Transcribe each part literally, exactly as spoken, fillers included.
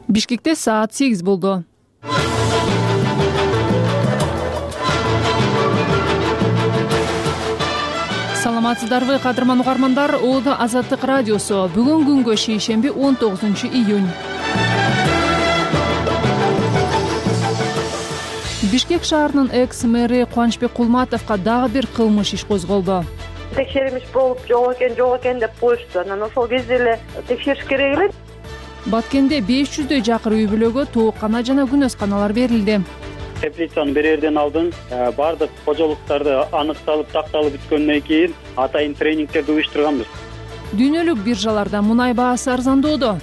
Бишкекте саат сегиз болду. Саламатсыздарбы, кадырман угармандар. Оодо Азаттык радиосу. Бүгүн күнгө шейшемби он тогузунчу июнь. Бишкек шаарынын экс-мэри Кубанычбек Кулматовго дагы бир кылмыш иш козголду. Текшерим иш болуп жок экен, жок экен деп коюшту. Анан ошол кезде эле текшериш керек эле. Баткенде беш жүздөй жакыр үй бүлөгө тооккана жана күнөсканалар берилди. Теплицаны берерден алдын баардык кожолуктарды аныкталып, такталып бүткөндөн кийин атайын тренингтерди уюштурганбыз. Дүйнөлүк биржаларда мунай баасы арзандоодо.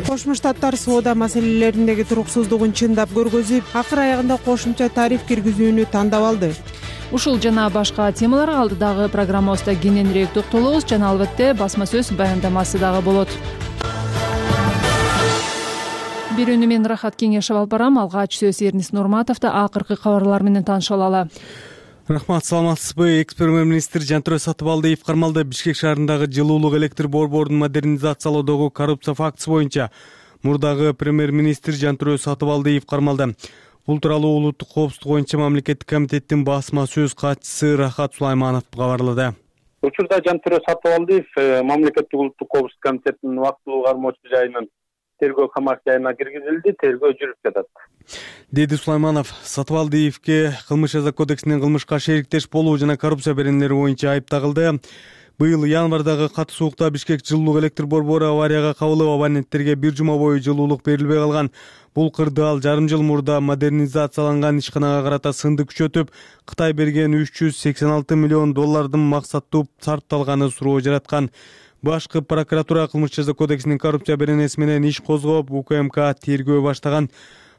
Кошмо Штаттар соода маселелериндеги туруксуздугун чындап көргөзүп, акыр аягында кошумча тариф киргизүүнү тандап алды. Ушул жана башка темаларга алдыдагы программабызда кененирээк токтолобуз жана албетте басма сөз баяндамасы дагы болот. Бирөөнү мен Рахат Кеңешев алып барам. Алгач сөз Эрнис Нурматовду акыркы кабарлар менен таанышып алалы. Рахмат, саламатсызбы? Экс-премьер-министр Жантүрө Сатыбалдиев кармалды. Бишкек шаарындагы жылуулук электр борборун модернизациялоодогу коррупция фактысы боюнча мурдагы премьер-министр Жантүрө Сатыбалдиев кармалды. Бул тууралуу улуттук коопсуздук боюнча мамлекеттик комитеттин басма сөз катчысы Рахат Сулайманов кабарлады. Учурда Жантүрө Сатыбалдиев мамлекеттик улуттук коопсуздук комитетинин убактылуу кармоочу жайынын тергөө камак жайына киргизилди, тергөө жүрүп жатат, деди Сулайманов. Сатыбалдиевке кылмыш жаза кодексинин кылмышка шериктеш болуу жана коррупция беренелери боюнча айып тагылды. Быйыл январдагы катуу суукта Бишкек жылуулук электр борбору аварияга кабылып, абоненттерге бир жума бою жылуулук берилбей калган. Бул кырды ал жарым жыл мурда модернизацияланган ишканага карата сынды күчөтүп, Кытай берген үч жүз сексен алты миллион доллардын максаттуу сарпталганы суроо жараткан. Башкы прокуратура кылмыш жаза кодексинин коррупция беренеси менен иш козгоп, УКМК тергөө баштаган.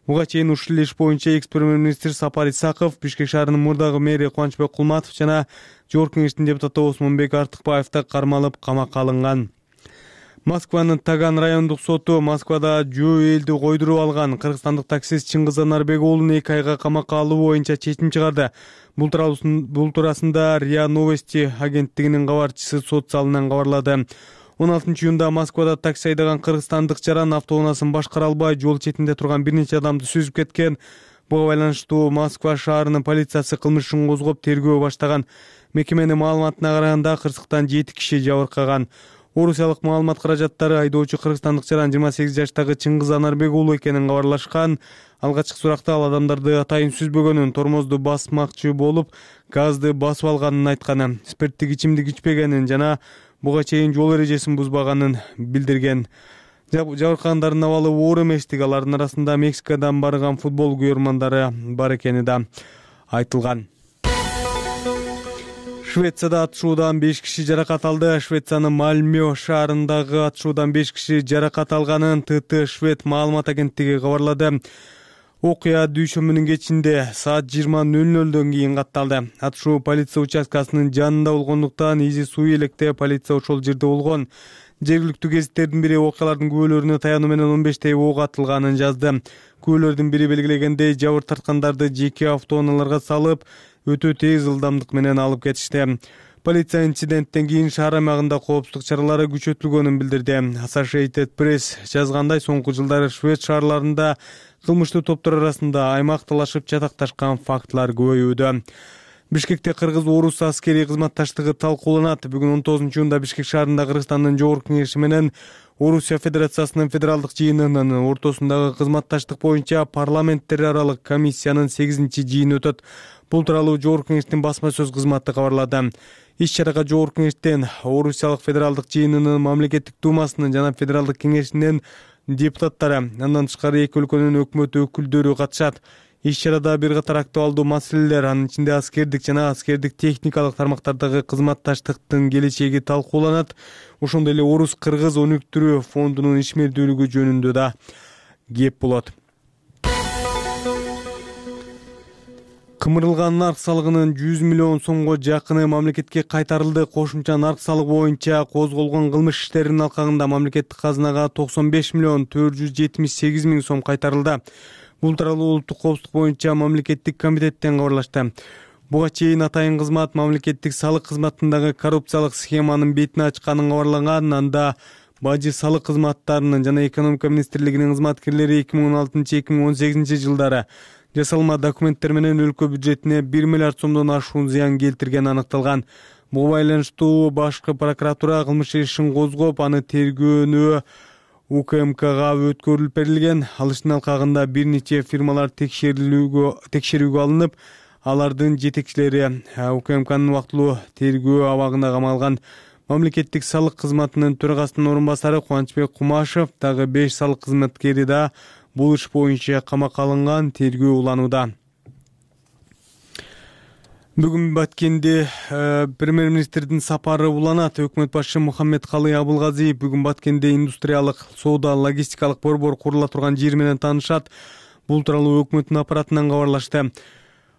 Буга чейин ушул иш боюнча экс-премьер-министр Сапар Исаков, Бишкек шаарынын мурдагы мэри Кубанычбек Кулматов жана Жогорку Кеңештин депутаты Осмонбек Артыкбаев да кармалып, камакка алынган. Москванын Таган райондук соту Москвада жөө элди койдуруп алган кыргызстандык таксист Чыңгыз Анарбек уулун эки айга камакка алуу боюнча чечим чыгарды. Бул туурасында РИА Новости агенттигинин кабарчысы сот залынан кабарлады. он алтынчы июнда Москвада такси айдаган кыргызстандык жаран автоунаасын башкара албай жол четинде турган бир нече адамды сүзүп кеткен. Буга байланыштуу Москва шаарынын полициясы кылмыш ишин козгоп тергөө баштаган. Мекеменин маалыматына караганда кырсыктан жети киши жабыркаган. Орусиялык маалымат каражаттары айдоочу кыргызстандык жаран жыйырма сегиз жаштагы Чыңгыз Анарбек уулу экенин кабарлашкан. Алгачкы суракта ал адамдарды атайын сүзбөгөнүн, тормозду басмакчы болуп, газды басып алганын айтканы, спирттик ичимдик ичпегенин жана буга чейин жол эрежесин бузбаганын билдирген. Жабыркагандардын абалы оор эместик, алардын арасында Мексикадан барган футбол күйөрмандары бар экени да айтылган. Швецияда атышуудан беш киши жаракат алды. Швециянын Мальмё шаарындагы атышуудан беш киши жаракат алганын ТТ Швед маалымат агенттиги кабарлады. Окуя дүйшөмбүнүн кечинде саат жыйырма нөл нөлдөн кийин катталды. Атышуу полиция участкасынын жанында болгондуктан изи суу электе полиция ошол жерде болгон. Жергиликтүү гезиттердин бири окуялардын күбөлөрүнө таянуу менен он бештей ок атылганын жазды. Күбөлөрдүн бири белгилегендей жабыр тарткандарды жеке автоунааларга салып, өтө тез ылдамдык менен алып кетишти. Полиция инциденттен кийин шаар аймагында коопсуздук чаралары күчөтүлгөнүн билдирди. Associated Press жазгандай, соңку жылдары Швед шаарларында кылмыштуу топтор арасында аймакталашып жатакташкан фактылар көбөйүүдө. Бишкекте кыргыз-орус аскерий кызматташтыгы талкууланат. Бүгүн он тогузунчу июнда Бишкек шаарында Кыргызстандын Жогорку Кеңеши менен Орусия Федерациясынын федералдык жыйынынын ортосундагы кызматташтык боюнча парламенттер аралык комиссиянын сегизинчи жыйыны өтөт. Бул тууралуу Жогорку Кеңештин басма сөз кызматы кабарлады. Иш-чарага Жогорку Кеңештен Орусиялык федералдык жыйынынын мамлекеттик думасынын жана федералдык кеңешинин депутаттары, андан тышкары эки өлкөнүн өкмөт өкүлдөрү катышат. Иш-чарада бир катар актуалдуу маселелер, анын ичинде аскердик жана аскердик техникалык тармактардагы кызматташтыктын келечеги талкууланат. Ошондой эле Орус-Кыргыз өнүктүрүү фондунун ишмердүүлүгү жөнүндө да кеп болот. Кымырылган нарк салыгынын жүз миллион сомго жакыны мамлекетке кайтарылды. Кошумча нарк салыгы боюнча козголгон кылмыш иштеринин алкагында мамлекеттик казынага токсон беш миллион төрт жүз жетимиш сегиз миң сом кайтарылды. Бул тууралуу улуттук коопсуздук боюнча мамлекеттик комитеттен кабарлашты. Буга чейин атайын кызмат мамлекеттик салык кызматындагы коррупциялык схеманын бетин ачканын кабарлаган. Анда бажы салык кызматтарынын жана экономика министрлигинин кызматкерлери эки миң он алтынчы эки миң он сегизинчи жылдары жасалма документтер менен өлкө бюджетине бир миллиард сомдон ашуун зыян келтиргени аныкталган. Буга байланыштуу башкы прокуратура кылмыш ишин козгоп, аны тергөөнү У К М Кга өткөрүлүп берилген. Ал иштин алкагында бир нече фирмалар текшерүүгө текшерүүгө алынып, алардын жетекчилери У К М Кнын убактылуу тергөө абагына камалган. Мамлекеттик салык кызматынын төрагасынын орун басары Кубанычбек Кумашев дагы беш салык кызматкери да бул иш боюнча камакка алынган, тергөө уланууда. Бүгүн Баткенде э, премьер-министрдин сапары уланат. Өкмөт башчысы Мухаммедкалый Абылгазиев бүгүн Баткенде индустриялык, соода, логистикалык борбор курула турган жер менен таанышат. Бул тууралуу өкмөттүн аппаратынан кабарлашты.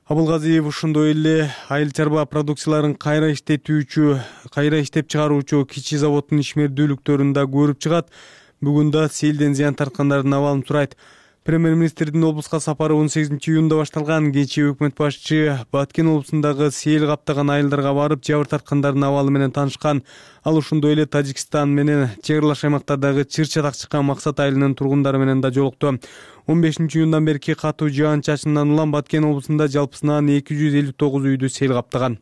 Абылгазиев ошондой эле айыл чарба продукцияларын кайра иштетүүчү, кайра иштеп чыгаруучу кичи заводдун ишмердүүлүктөрүн да көрүп чыгат. Бүгүн да селден зыян тарткандардын абалын сурайт. Премьер-министрдин облуска сапары он сегизинчи июнда башталган. Кечээ өкмөт башчы Баткен облусундагы сел каптаган айылдарга барып, жабыр тарткандардын абалы менен таанышкан. Ал ошондой эле Тажикстан менен чек аралаш аймактардагы чыр-чатак чыккан Максат айылынын тургундары менен да жолукту. он бешинчи июндан берки катуу жаан-чачындан улам Баткен облусунда жалпысынан эки жүз элүү тогуз үйдү сел каптаган.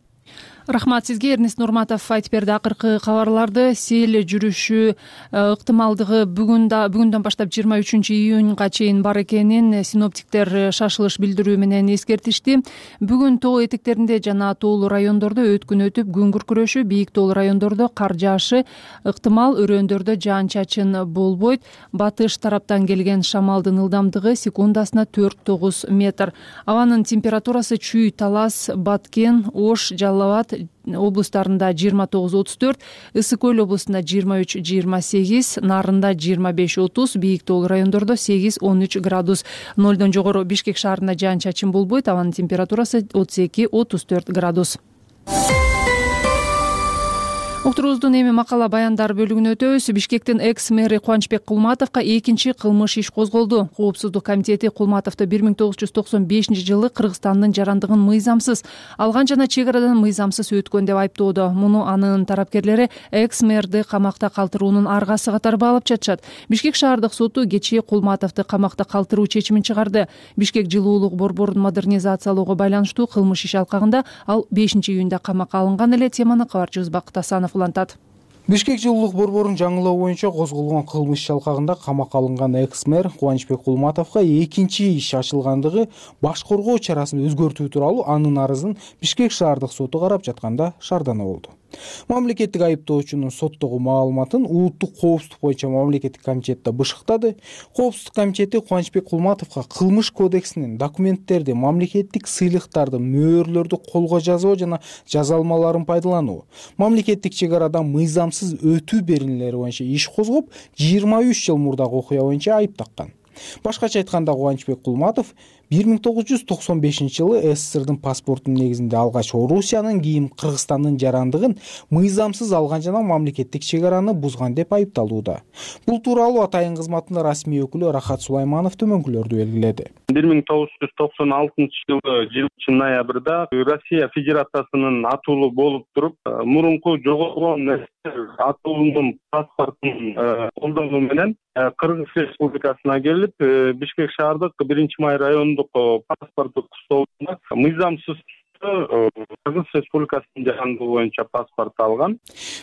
Рахмат сизге, Эрнест Нурматов айтып берди акыркы кабарларды. Сел жүрүшү ыктымалдыгы бүгүн да бүгүндөн баштап жыйырма үчүнчү июнга чейин бар экенин синоптиктер шашылыш билдирүү менен эскертишти. Бүгүн тоо этектеринде жана тоолуу райондордо өткүн өтүп, күн күркүрөшү, бийик тоолуу райондордо кар жаашы ыктымал, өрөөндөрдө жаан-чачын болбойт. Батыш тараптан келген шамалдын ылдамдыгы секундасына төрт тогуз метр. Абанын температурасы Чүй, Талас, Баткен, Ош, Жалал абад облустарында жыйырма тогуз отуз төрт, Ысык Көл облусунда жыйырма үч жыйырма сегиз, Нарында жыйырма беш отуз, бийик тоолуу райондордо сегиз он үч градус. Нолдон жогору Бишкек шаарында жаан-чачын болбойт, абанын температурасы отуз эки отуз төрт градус. Уктуруубуздун эми макала баяндар бөлүгүнө өтөбүз. Бишкектин экс-мэри Кубанычбек Кулматовго экинчи кылмыш иш козголду. Коопсуздук комитети Кулматовду бир миң тогуз жүз токсон бешинчи жылы Кыргызстандын жарандыгын мыйзамсыз алган жана чек арадан мыйзамсыз өткөн деп айыптоодо. Муну анын тарапкерлери экс-мэрди камакта калтыруунун аргасы катары баалап жатышат. Бишкек шаардык соту кечээ Кулматовду камакта калтыруу чечимин чыгарды. Бишкек жылуулук борборун модернизациялоого байланыштуу кылмыш иш алкагында ал бешинчи июнда камакка алынган эле. Теманы кабарчыбыз Бакыт Асанов улантат. Бишкек жылуулук борборун жаңылоо боюнча козголгон кылмыш иш алкагында камакка алынган экс-мэр Кубанычбек Кулматовго экинчи иш ачылгандыгы баш коргоо чарасын өзгөртүү тууралуу анын арызын Бишкек шаардык соту карап жатканда шаардана болду. Мамлекеттик айыптоочунун соттогу маалыматын улуттук коопсуздук боюнча мамлекеттик комитетте бышыктады. Коопсуздук комитети Кубанычбек Кулматовго кылмыш кодексинин документтерди, мамлекеттик сыйлыктарды, мөөрлөрдү колго жазуу жана жаза алмаларын пайдалануу, мамлекеттик чек арадан мыйзамсыз өтүү беренелери боюнча иш козгоп, жыйырма үч жыл мурдагы окуя боюнча айып таккан. Башкача айтканда, Кубанычбек Кулматов бир миң тогуз жүз токсон бешинчи жылы СССРдын паспортунун негизинде алгач Орусиянын, кийин Кыргызстандын жарандыгын мыйзамсыз алган жана мамлекеттик чек араны бузган деп айыпталууда. Бул тууралуу атайын кызматынын расмий өкүлү Рахат Сулайманов төмөнкүлөрдү белгиледи. бир миң тогуз жүз токсон алтынчы жылы жылчы ноябрда Россия Федерациясынын атуулу болуп туруп, мурунку жогоргон атуулунун паспортун колдонуу менен Кыргыз Республикасына келип, Бишкек шаардык биринчи май райондук паспорттук столунда мыйзамсыз Кыргыз Республикасынын жарандыгы боюнча паспорт алган.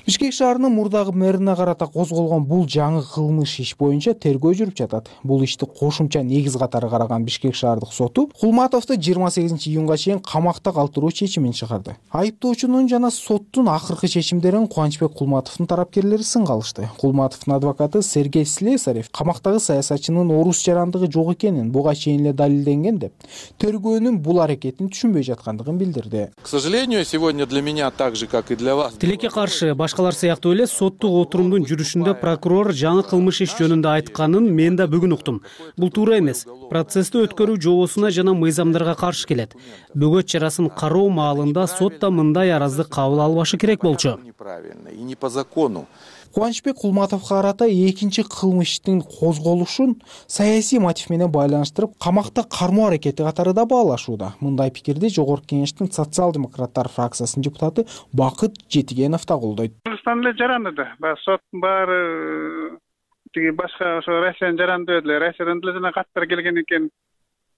Бишкек шаарынын мурдагы мэрине карата козголгон бул жаңы кылмыш иш боюнча тергөө жүрүп жатат. Бул ишти кошумча негиз катары караган Бишкек шаардык соту Кулматовду жыйырма сегизинчи июнга чейин камакта калтыруу чечимин чыгарды. Айыптоочунун жана соттун акыркы чечимдерин Кубанычбек Кулматовдун тарапкерлери сынга алышты. Кулматовдун адвокаты Сергей Слесарев камактагы саясатчынын орус жарандыгы жок экенин буга чейин эле далилденген деп тергөөнүн бул аракетин түшүнбөй жаткандыгын билдирди. К сожалению, сегодня для меня так же, как и для вас. Тилекке каршы башкалар сыяктуу эле соттук отурумдун жүрүшүндө прокурор жаңы кылмыш иш жөнүндө айтканын мен да бүгүн уктум. Бул туура эмес. Процессти өткөрүү жобосуна жана мыйзамдарга каршы келет. Бөгөт чарасын кароо маалында сот да мындай аразды кабыл албашы керек болчу. Неправильно и не по закону. Кубанычбек Кулматовго карата экинчи кылмыштын козголушун саясий мотив менен байланыштырып, камакта кармоо аракети катары да баалашууда. Мындай пикирди Жогорку Кеңештин социал-демократтар фракциясынын депутаты Бакыт Жетигенов да колдойт. Кыргызстан эле жаранды да. Баягы соттун баары тиги башка ошо Россиянын жаранды эле, Россиядан деле жана каттар келген экен.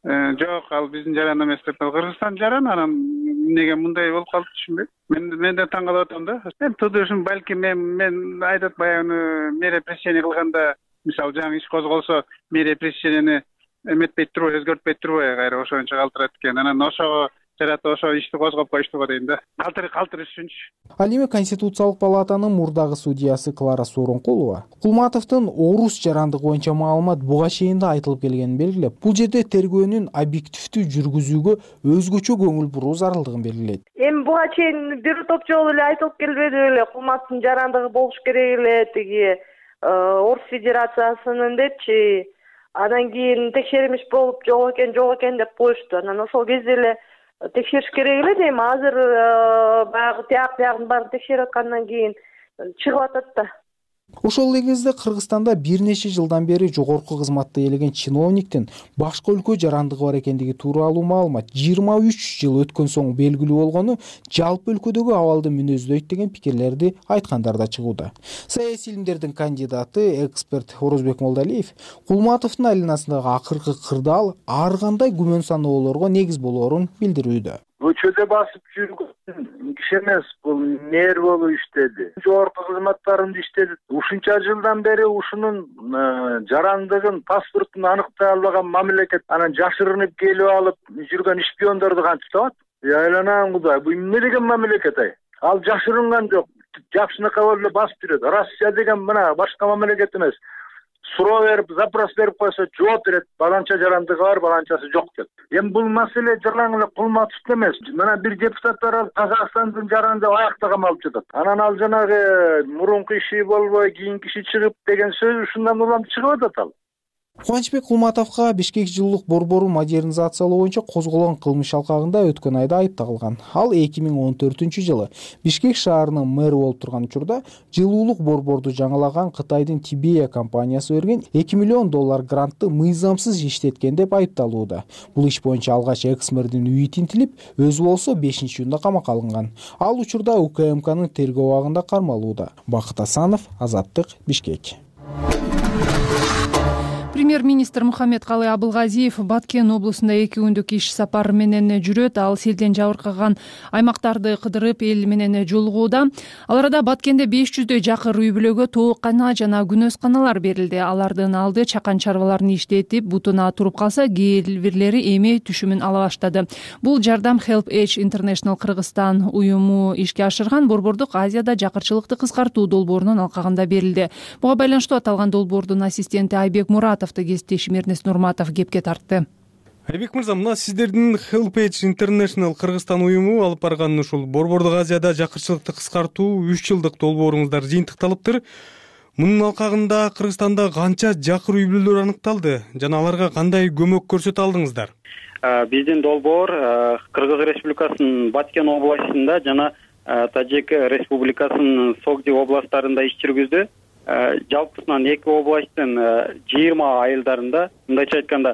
Жок, ал биздин жаран эмес деп. Кыргызстан жаран, анан эмнеге мындай болуп калды түшүнбөйм. Мен мен да таң калып атам да. Мен тудушум балким мен мен айтат баягы мере пресечение кылганда, мисалы жаңы иш козголсо, мере пресечениени эметпейт турбу, өзгөртпөйт турбу, кайра ошончо калтырат экен. Анан ошого жарата ошо ишти козгоп коюштуго дейм да. Калтыр калтырыш үчүнчү. Ал эми Конституциялык палатанын мурдагы судьясы Клара Сооронкулова Кулматовдун орус жарандыгы боюнча маалымат буга чейин да айтылып келгенин белгилеп, бул жерде тергөөнүн объективдүү жүргүзүүгө өзгөчө көңүл буруу зарылдыгын белгилейт. Эми буга чейин бир топ жолу эле айтылып келбеди беле, Кулматовдун жарандыгы болуш керек эле, тиги Орус Федерациясынын депчи. Андан кийин текшерилиш болуп жок экен, жок экен деп коюшту. Анан ошол кезде эле текшериш керек эле дейм. Азыр баягы тияк биягын баарын текшерип аткандан кийин чыгып атат да. Ошол эле кезде Кыргызстанда бир нече жылдан бери жогорку кызматта ээлеген чиновниктин башка өлкө жарандыгы бар экендиги тууралуу маалымат жыйырма үч жыл өткөн соң белгилүү болгону жалпы өлкөдөгү абалды мүнөздөйт деген пикирлерди айткандар да чыгууда. Саясий илимдердин кандидаты, эксперт Орозбек Молдалиев Кулматовдун айланасындагы акыркы кырдаал ар кандай күмөн саноолорго негиз болоорун билдирүүдө. Көчөдө басып жүргөн киши эмес, бул мэр болуп иштеди. Жогорку кызматтарында иштеди. Ушунча жылдан бери ушунун жарандыгын, паспортун аныктай албаган мамлекет анан жашырынып келип алып жүргөн шпиондорду кантип табат? Айланам Кудай, бул эмне деген мамлекет ай? Ал жашырынган жок. Жакшынакай болуп эле басып жүрөт. Россия деген мына башка мамлекет эмес. Суроо берип, запрос берип койсо жооп берет. Баланча жарандыгы бар, баланчасы жок деп. Эми бул маселе жырлаң эле Кулматов эмес. Мына бир депутаттар ал Казакстандын жаранды аякта камалып жатат. Анан ал жанагы мурунку иши болбой, кийинки иши чыгып деген сөз ушундан улам чыгып атат ал. Кубанычбек Кулматовго Бишкек жылуулук борборун модернизациялоо боюнча козголгон кылмыш алкагында өткөн айда айып тагылган. Ал эки миң он төртүнчү жылы Бишкек шаарынын мэрі болуп турган учурда жылуулук борборду жаңылаган Кытайдын Тибея компаниясы берген эки миллион доллар грантты мыйзамсыз иштеткен деп айыпталууда. Бул иш боюнча алгач экс-мэрдин үйү тинтилип, өзү болсо бешинчи июнда камакка алынган. Ал учурда УКМКнын тергөө абагында кармалууда. Бакыт Асанов, Азаттык, Бишкек. Премьер-министр Мухаммедкалый Абылгазиев Баткен облусунда эки күндүк иш сапары менен жүрөт. Ал селден жабыркаган аймактарды кыдырып, эл менен жолугууда. Ал арада Баткенде беш жүздөй жакыр үй бүлөгө тооккана жана күнөөсканалар берилди. Алардын алды чакан чарбаларын иштетип, бутуна туруп калса, кээ бирлери эми түшүмүн ала баштады. Бул жардам Help Age International Кыргызстан уюму ишке ашырган борбордук Азияда жакырчылыкты кыскартуу долбоорунун алкагында берилди. Буга байланыштуу аталган долбоордун ассистенти Айбек Муратов кесиптешим Эрнест Нурматов кепке тартты. Айбек мырза, мына сиздердин Help Age International Кыргызстан уюму алып барган ушул борбордук Азияда жакырчылыкты кыскартуу үч жылдык долбооруңуздар жыйынтыкталыптыр. Мунун алкагында Кыргызстанда канча жакыр үй бүлөлөр аныкталды жана аларга кандай көмөк көрсөтө алдыңыздар? Биздин долбоор Кыргыз Республикасынын Баткен областында жана Тажик Республикасынын Согди областтарында иш жүргүздү. Жалпысынан эки областтын жыйырма айылдарында, мындайча айтканда,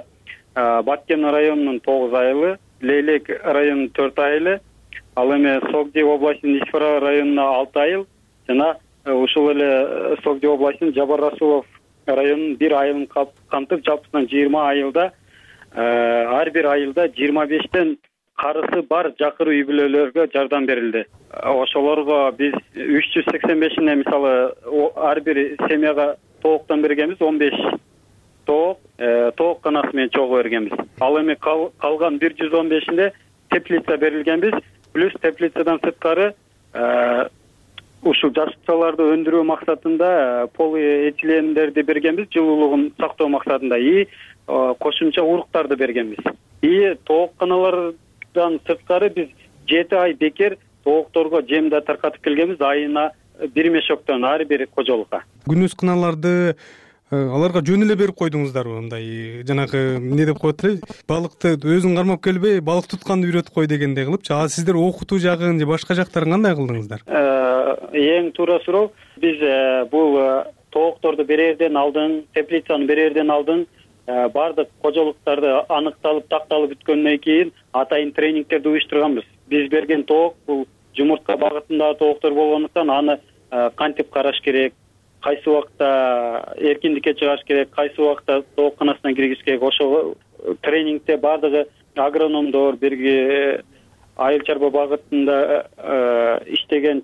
Баткен районунун тогуз айылы, Лейлек районунун төрт айылы, ал эми Согди областынын Ишфара районуна алты айыл жана ушул эле Согди областынын Жабар Расулов районунун бир айылын камтып, жалпысынан жыйырма айылда, ар бир айылда жыйырма бештен карысы бар жакыр үй бүлөлөргө жардам берилди. Ошолорго биз үч жүз сексен бешине мисалы ар бир семьяга тооктон бергенбиз, он беш тоок, тоокканасы менен чогуу бергенбиз. Ал эми калган бир жүз он бешинде теплица берилгенбиз, плюс теплицадан сырткары ушул жашыкчаларды өндүрүү максатында полиэтилендерди бергенбиз, жылуулугун сактоо максатында, и кошумча уруктарды бергенбиз. И тоокканалардан сырткары биз жети ай бекер тоокторго жем да таркатып келгенбиз, айына бир мешоктон ар бир кожолукка. Күнөөсканаларды аларга жөн эле берип койдуңуздарбы, мындай жанагы эмне деп коет эле, балыкты өзүң кармап келбей балык тутканды үйрөтүп кой дегендей кылыпчы. А сиздер окутуу жагын же башка жактарын кандай кылдыңыздар? Эң туура суроо. Биз бул тоокторду берерден алдын, теплицаны берерден алдын баардык кожолуктарды аныкталып, такталып бүткөндөн кийин атайын тренингтерди уюштурганбыз. Биз берген тоок бул жумуртка багытындагы тооктор болгондуктан аны кантип караш керек, кайсы убакта эркиндикке чыгаш керек, кайсы убакта тоокканасына киргизиш керек. Ошол тренингде баардыгы агрономдор, бирге айыл чарба багытында иштеген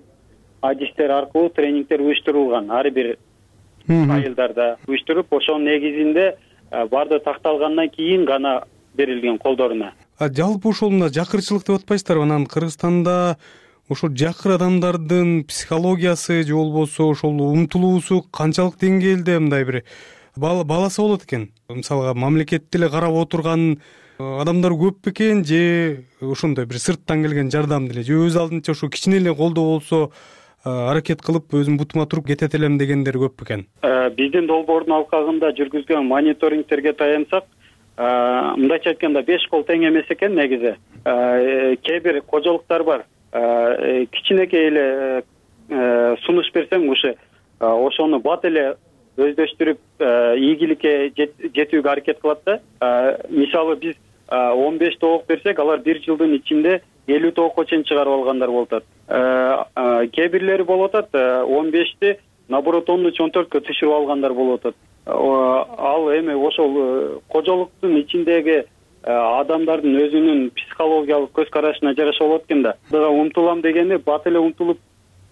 адистер аркылуу тренингдер уюштурулган. Ар бир айылдарда уюштуруп, ошонун негизинде баардыгы такталгандан кийин гана берилген колдоруна. Жалпы ошол мына жакырчылык деп атпайсыздарбы? Анан Кыргызстанда ошол жакыр адамдардын психологиясы же болбосо ошол умтулуусу канчалык деңгээлде мындай бир баласа болот экен? Мисалга мамлекетти эле карап отурган адамдар көп бекен же ошондой бир сырттан келген жардам деле же өз алдынча ошо кичине эле колдоо болсо аракет кылып өзүм бутума туруп кетет элем дегендер көп бекен? Биздин долбоордун алкагында жүргүзгөн мониторингтерге таянсак, мындайча айтканда беш кол тең эмес экен негизи. Кээ бир кожолуктар бар, кичинекей эле сунуш берсең ушу ошону бат эле өздөштүрүп ийгиликке жетүүгө аракет кылат да. Мисалы биз он беш тоок берсек, алар бир жылдын ичинде элүү тоокко чейин чыгарып алгандар болуп атат. Кээ бирлери болуп атат он бешти наоборот он үч он төрткө түшүрүп алгандар болуп атат. Ал эми ошол кожолуктун ичиндеги адамдардын өзүнүн психологиялык көз карашына жараша болот экен да. Умтулам дегени бат эле умтулуп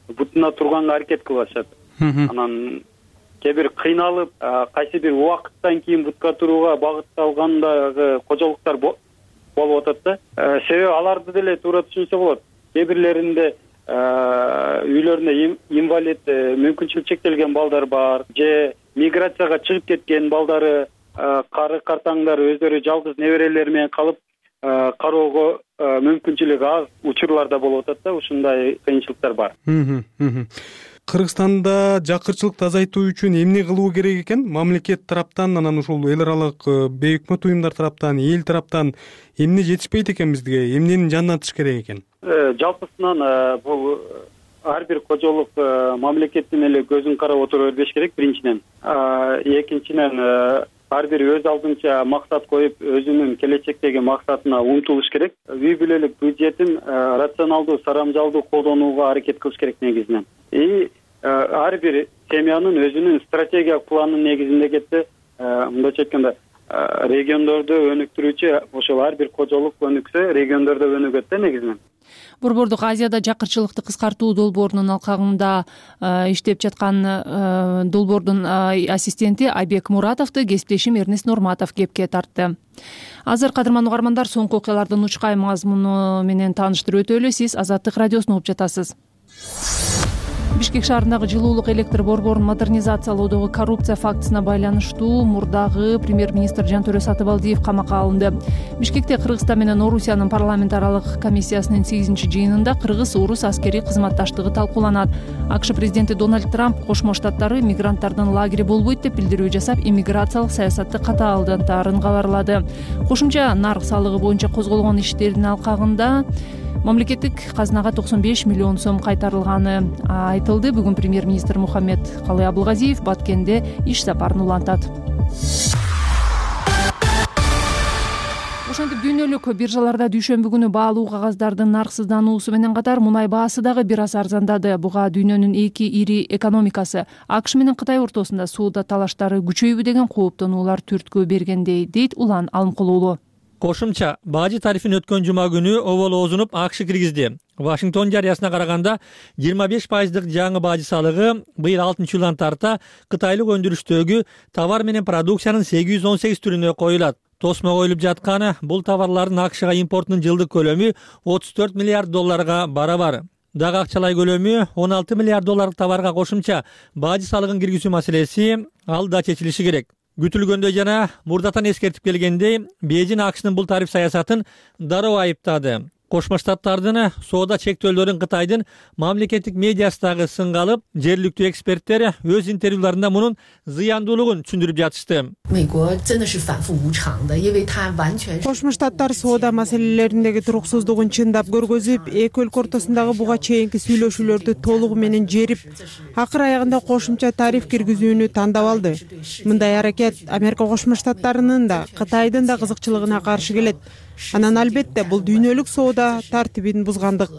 бутуна турганга аракет кылышат. Анан кээ бир кыйналып, кайсы бир убакыттан кийин бутка турууга багытталгандагы кожолуктар болуп атат да. Себеби аларды деле туура түшүнсө болот. Кээ бирлеринде үйлөрүндө инвалид, мүмкүнчүлүк чектелген балдар бар, же миграцияга чыгып кеткен балдары, кары картаңдар өздөрү жалгыз неберелери менен калып кароого мүмкүнчүлүгү аз учурларда болуп атат да. Ушундай кыйынчылыктар бар. Кыргызстанда жакырчылыкты азайтуу үчүн эмне кылуу керек экен? Мамлекет тараптан, анан ушул эл аралык бейөкмөт уюмдар тараптан, эл тараптан эмне жетишпейт экен бизге? Эмнени жандатыш керек экен? Жалпысынан бул ар бир кожолук мамлекеттин эле көзүн карап отура бербеш керек биринчиден. Экинчиден ар бир өз алдынча максат коюп, өзүнүн келечектеги максатына умтулуш керек. Үй бүлөлүк бюджетин рационалдуу, сарамжалдуу колдонууга аракет кылыш керек негизинен. И ар бир семьянын өзүнүн стратегиялык планынын негизинде кетсе, мындайча айтканда региондорду өнүктүрүүчү ошол ар бир кожолук өнүксө, региондордо өнүгөт да негизинен. Борбордук Азияда жакырчылыкты кыскартуу долбоорунун алкагында иштеп жаткан долбоордун ассистенти Айбек Муратовду кесиптешим Эрнест Нурматов кепке тартты. Азыр кадырман угармандар, соңку окуялардын учкай мазмуну менен тааныштырып өтөлү. Сиз Азаттык радиосун угуп жатасыз. Бишкек шаарындагы жылуулук электр борборун модернизациялоодогу коррупция фактысына байланыштуу мурдагы премьер-министр Жантөрө Сатыбалдиев камакка алынды. Бишкекте Кыргызстан менен Орусиянын парламент аралык комиссиясынын сегизинчи жыйынында кыргыз-орус аскерий кызматташтыгы талкууланат. АКШ президенти Дональд Трамп Кошмо Штаттары мигранттардын лагери болбойт деп билдирүү жасап, иммиграциялык саясатты катаалдантаарын кабарлады. Кошумча нарк салыгы боюнча козголгон иштердин алкагында мамлекеттик казынага токсон беш миллион сом кайтарылганы айтылды. Бүгүн премьер-министр Мухаммед Калый Абылгазиев Баткенде иш сапарын улантат. Ошентип дүйнөлүк биржаларда дүйшөмбү күнү баалуу кагаздардын нарксыздануусу менен катар мунай баасы дагы бир аз арзандады. Буга дүйнөнүн эки ири экономикасы АКШ менен Кытай ортосунда соода талаштары күчөйбү деген кооптонуулар түрткү бергендей, дейт Улан Алымкулуулу. Кошумча бажы тарифин өткөн жума күнү оболозунуп АКШ киргизди. Вашингтон жарыясына караганда жыйырма беш пайыздык жаңы бажы салыгы быйыл алтынчы жылдан тарта кытайлык өндүрүштөгү товар менен продукциянын сегиз жүз он сегиз түрүнө коюлат. Тосмо коюлуп жатканы бул товарлардын АКШга импортунун жылдык көлөмү отуз төрт миллиард долларга барабар. Дагы акчалай көлөмү он алты миллиард долларлык товарга кошумча бажы салыгын киргизүү маселеси ал да чечилиши керек. Күтүлгөндөй жана мурдатан эскертип келгендей, Бейжин АКШнын бул тариф саясатын дароо айыптады. Кошмо Штаттардын соода чектөөлөрүн Кытайдын мамлекеттик медиасы дагы сынга алып, жергиликтүү эксперттер өз интервьюларында мунун зыяндуулугун түшүндүрүп жатышты. Кошмо Штаттар соода маселелериндеги туруксуздугун чындап көргөзүп, эки өлкө ортосундагы буга чейинки сүйлөшүүлөрдү толугу менен жерип, акыр аягында кошумча тариф киргизүүнү тандап алды. Мындай аракет Америка Кошмо Штаттарынын да, Кытайдын да кызыкчылыгына каршы келет. Анан албетте бул дүйнөлүк соода тартибин бузгандык.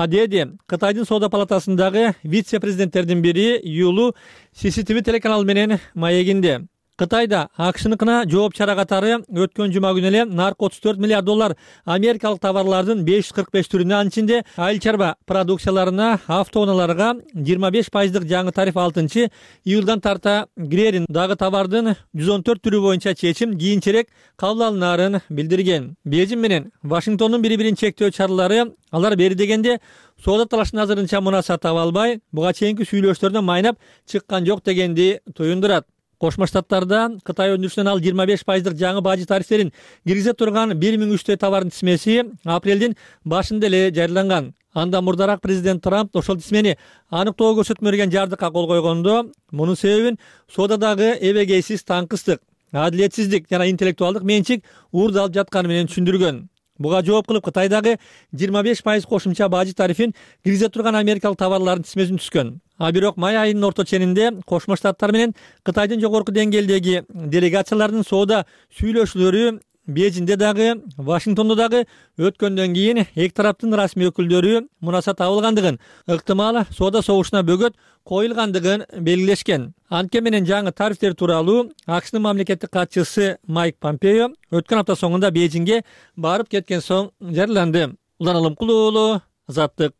Деди Кытайдын соода палатасындагы вице-президенттердин бири Юлу си си ти ви телеканалы менен маегинде. Кытайда АКШныкына жооп чара катары өткөн жума күнү эле наркы отуз төрт миллиард доллар америкалык товарлардын беш жүз кырк беш түрүнө, анын ичинде айыл чарба продукцияларына, автоунааларга жыйырма беш пайыздык жаңы тариф алтынчы июлдан тарта кирерин, дагы товардын жүз он төрт түрү боюнча чечим кийинчерээк кабыл алынаарын билдирген. Бейжиң менен Вашингтондун бири-бирин чектөө чаралары алар бери дегенде соода талашын азырынча мунаса таба албай, буга чейинки сүйлөшүүлөрдөн майнап чыккан жок дегенди туюндурат. Кошмо Штаттарда Кытай өндүрүшүнөн ал жыйырма беш пайыздык жаңы бажы тарифтерин киргизе турган бир миң үчтөй товардын тизмеси апрелдин башында эле жарыяланган. Андан мурдараак президент Трамп ошол тизмени аныктоо көрсөтмө берген жардыкка кол койгондо, мунун себебин соодадагы эбегейсиз таңкыстык, адилетсиздик жана интеллектуалдык менчик уурда алып жатканы менен түшүндүргөн. Буга жооп кылып Кытайдагы жыйырма беш пайыз кошумча бажы тарифин киргизе турган америкалык товарлардын тизмесин түзгөн. А бирок май айынын орто ченинде Кошмо Штаттар менен Кытайдын жогорку деңгээлдеги делегациялардын соода сүйлөшүүлөрү Бейжиңде дагы, Вашингтондо дагы өткөндөн кийин эки тараптын расмий өкүлдөрү мунаса табылгандыгын, ыктымал соода согушуна бөгөт коюлгандыгын белгилешкен. Анткени менен жаңы тарифтер тууралуу АКШнын мамлекеттик катчысы Майк Помпео өткөн апта соңунда Бейжиңге барып кеткен соң жарыяланды. Улан Алымкулуу, Азаттык.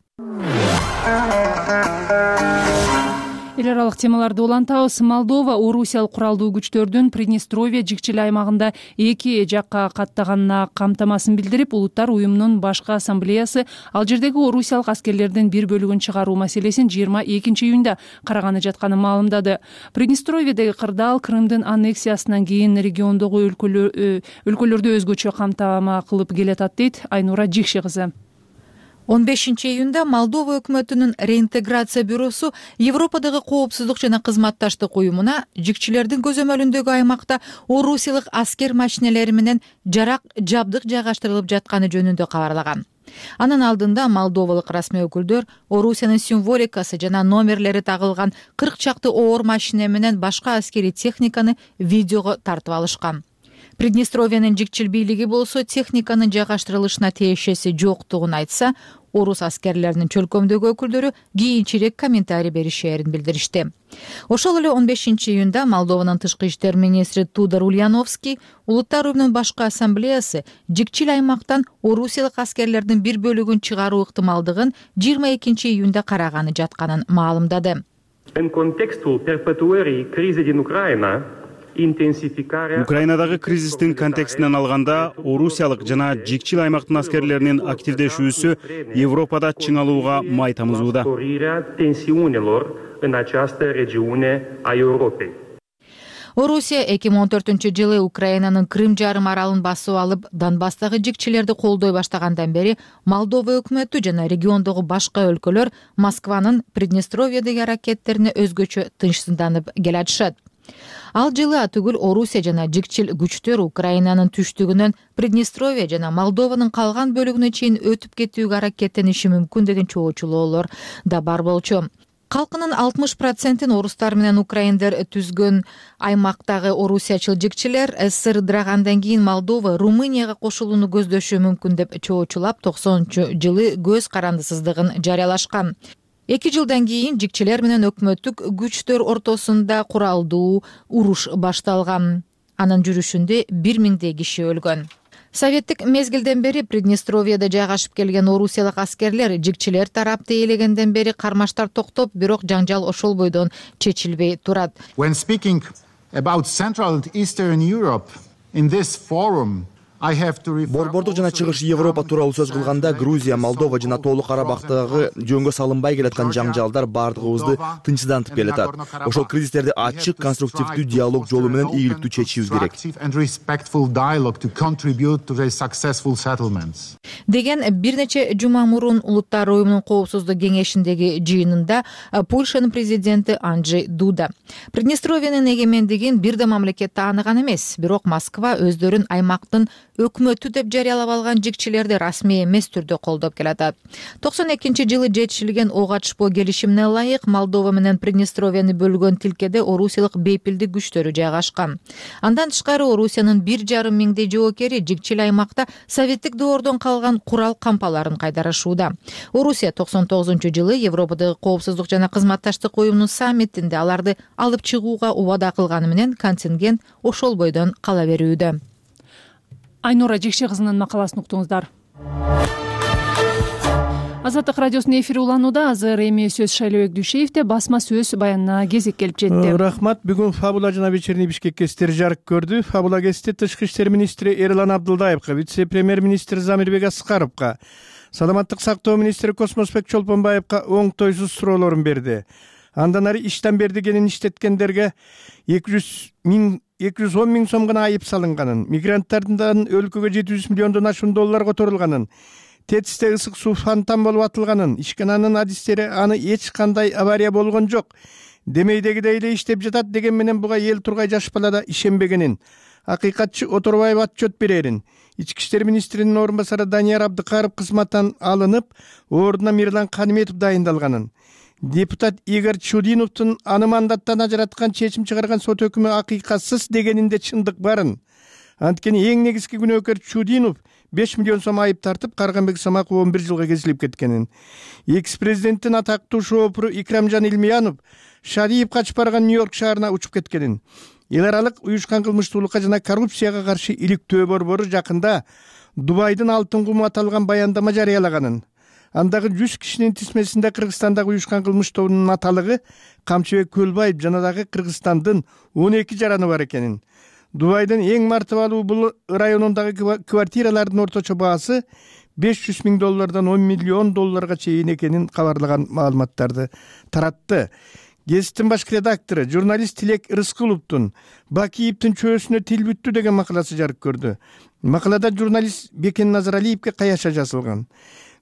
Эл аралык темаларды улантабыз. Молдова орусиялык куралдуу күчтөрдүн Приднестровье жикчил аймагында эки жакка каттаганына камтамасын билдирип, улуттар уюмунун башкы ассамблеясы ал жердеги орусиялык аскерлердин бир бөлүгүн чыгаруу маселесин жыйырма экинчи июнда караганы жатканын маалымдады. Приднестровьедеги кырдаал Крымдын аннексиясынан кийин региондогу өлкөлөрдү өзгөчө камтама кылып келатат, дейт Айнура Жикши кызы. он бешинчи июнда Молдова өкмөтүнүн реинтеграция бюросу Европадагы коопсуздук жана кызматташтык уюмуна жикчилердин көзөмөлүндөгү аймакта орусиялык аскер машинелери менен жарак жабдык жайгаштырылып жатканы жөнүндө кабарлаган. Анын алдында молдовалык расмий өкүлдөр Орусиянын символикасы жана номерлери тагылган кырк чакты оор машине менен башка аскерий техниканы видеого тартып алышкан. Приднестровьянын жикчил бийлиги болсо техниканын жайгаштырылышына тиешеси жоктугун айтса, орус аскерлеринин чөлкөмдөгү өкүлдөрү кийинчерээк комментарий беришээрин билдиришти. Ошол эле он бешинчи июнда Молдованын тышкы иштер министри Тудор Ульяновский улуттар уюмунун башкы ассамблеясы жикчил аймактан орусиялык аскерлердин бир бөлүгүн чыгаруу ыктымалдыгын жыйырма экинчи июнда караганы жатканын маалымдады. Украинадагы кризистин контекстинен алганда, орусиялык жана жикчил аймактын аскерлеринин активдешүүсү Европада чыңалууга май тамызууда. Орусия эки миң он төртүнчү жылы Украинанын Крым жарым аралын басып алып, Донбасстагы жикчилерди колдой баштагандан бери Молдова өкмөтү жана региондогу башка өлкөлөр Москванын Приднестровьедеги аракеттерине өзгөчө тынчсызданып келатышат. Ал жылы атүгүл Орусия жана жикчил күчтөр Украинанын түштүгүнөн Приднестровье жана Молдованын калган бөлүгүнө чейин өтүп кетүүгө аракеттениши мүмкүн деген чоочулоолор да бар болчу. Калкынын алтымыш процентин орустар менен украиндер түзгөн аймактагы орусиячыл жикчилер СССР ыдырагандан кийин Молдова Румынияга кошулууну көздөшү мүмкүн деп чоочулап токсонунчу жылы көз карандысыздыгын жарыялашкан. Эки жылдан кийин жикчилер менен өкмөттүк күчтөр ортосунда куралдуу уруш башталган. Анын жүрүшүндө бир миңдей киши өлгөн. Советтик мезгилден бери Приднестровьеде жайгашып келген орусиялык аскерлер жикчилер тарапты ээлегенден бери кармаштар токтоп, бирок жаңжал ошол бойдон чечилбей турат. When speaking about Central and Eastern Europe in this forum, борбордук жана чыгыш Европа тууралуу сөз кылганда Грузия, Молдова жана Тоолук Карабактагы жөнгө салынбай келаткан жаңжалдар баардыгыбызды тынчсыздантып келатат. Ошол кризистерди ачык, конструктивдүү диалог жолу менен ийгиликтүү чечишибиз керек деген бир нече жума мурун Улуттар уюмунун коопсуздук кеңешиндеги жыйынында Польшанын президенти Анджей Дуда. Приднестровиянын эгемендигин бир да мамлекет тааныган эмес, бирок Москва өздөрүн аймактын өкмөтү деп жарыялап алган жикчилерди расмий эмес түрдө колдоп келатат. токсон экинчи жылы жетишилген ок атышпоо келишимине ылайык Молдова менен Приднестровияны бөлгөн тилкеде орусиялык бейпилдик күчтөрү жайгашкан. Андан тышкары Орусиянын бир жарым миңдей жоокери жикчил аймакта советтик доордон калган курал кампаларын кайдарышууда. Орусия токсон тогузунчу жылы Европадагы коопсуздук жана кызматташтык уюмунун саммитинде аларды алып чыгууга убада кылганы менен контингент ошол бойдон кала берүүдө. Айнура Жекше кызынын макаласын уктуңуздар. Азаттык радиосунун эфири уланууда. Азыр эми сөз Шайлообек Дүйшеевде басма сөз баянына кезек келип жетти. Рахмат. Бүгүн Фабула жана Вечерний Бишкек гезиттери жарык көрдү. Фабула гезити Тышкы иштер министри Эрлан Абдылдаевга, вице-премьер-министр Замирбек Аскаровго, саламаттык сактоо министри Космосбек Чолпонбаевга оңтойсуз суроолорун берди. Андан ары иштен бердигенин иштеткендерге эки жүз миң эки жүз он миң сом гана айып салынганын, мигранттардан өлкөгө жети жүз миллиондон ашуун доллар которулганын, тетисте ысык суу фонтан болуп атылганын, ишкананын адистери аны эч кандай авария болгон жок, демейдегидей эле иштеп жатат деген менен буга эл тургай жаш бала да ишенбегенин, акыйкатчы Оторбаев отчет берерин, ички иштер министринин орун басары Данияр Абдыкаров кызматтан алынып, ордуна Мирлан Каниметов дайындалганын, депутат Игорь Чудиновдун аны мандаттан ажыраткан чечим чыгарган сот өкүмү акыйкатсыз дегенинде чындык барын. Анткени эң негизги күнөөкөр Чудинов беш миллион сом айып тартып, Карганбек Самаков он бир жылга кезилип кеткенин. Экс-президенттин атактуу шоопуру Икрамжан Илмиянов Шариев качып барган Нью-Йорк шаарына учуп кеткенин. Эл аралык уюшкан кылмыштуулукка жана коррупцияга каршы иликтөө борбору жакында Дубайдын алтын куму аталган баяндама жарыялаганын. Андагы жүз кишинин тизмесинде Кыргызстандагы уюшкан кылмыш тобунун аталыгы Камчыбек Көлбаев жана дагы Кыргызстандын он эки жараны бар экенин. Дубайдын эң мартыбалуу бул районундагы квартиралардын орточо баасы беш жүз миң доллардан он миллион долларга чейин экенин кабарлаган маалыматтарды таратты. Гезиттин башкы редактору журналист Тилек Рыскуловдун Бакиевдин чөөсүнө тил бүттү деген макаласы жарык көрдү. Макалада журналист Бекен Назаралиевге каяша жазылган.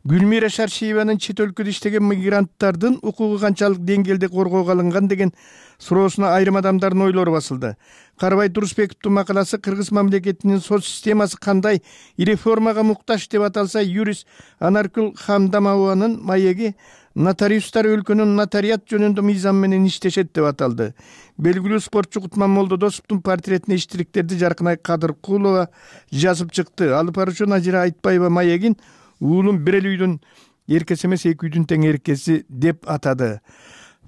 Гүлмира Шаршиеванын чет өлкөдө иштеген мигранттардын укугу канчалык деңгээлде коргоого алынган деген суроосуна айрым адамдардын ойлору басылды. Карабай Турусбековдун макаласы кыргыз мамлекетинин соц системасы кандай реформага муктаж деп аталса, юрист Анаркүл Хамдамованын маеги нотариустар өлкөнүн нотариат жөнүндө мыйзам менен иштешет деп аталды. Белгилүү спортчу Кутман Молдодосовдун портретине иштириктерди Жаркынай Кадыркулова жазып чыкты. Алып баруучу Назира Айтбаева маегин уулум бир эле үйдүн эркеси эмес, эки үйдүн тең эркеси деп атады.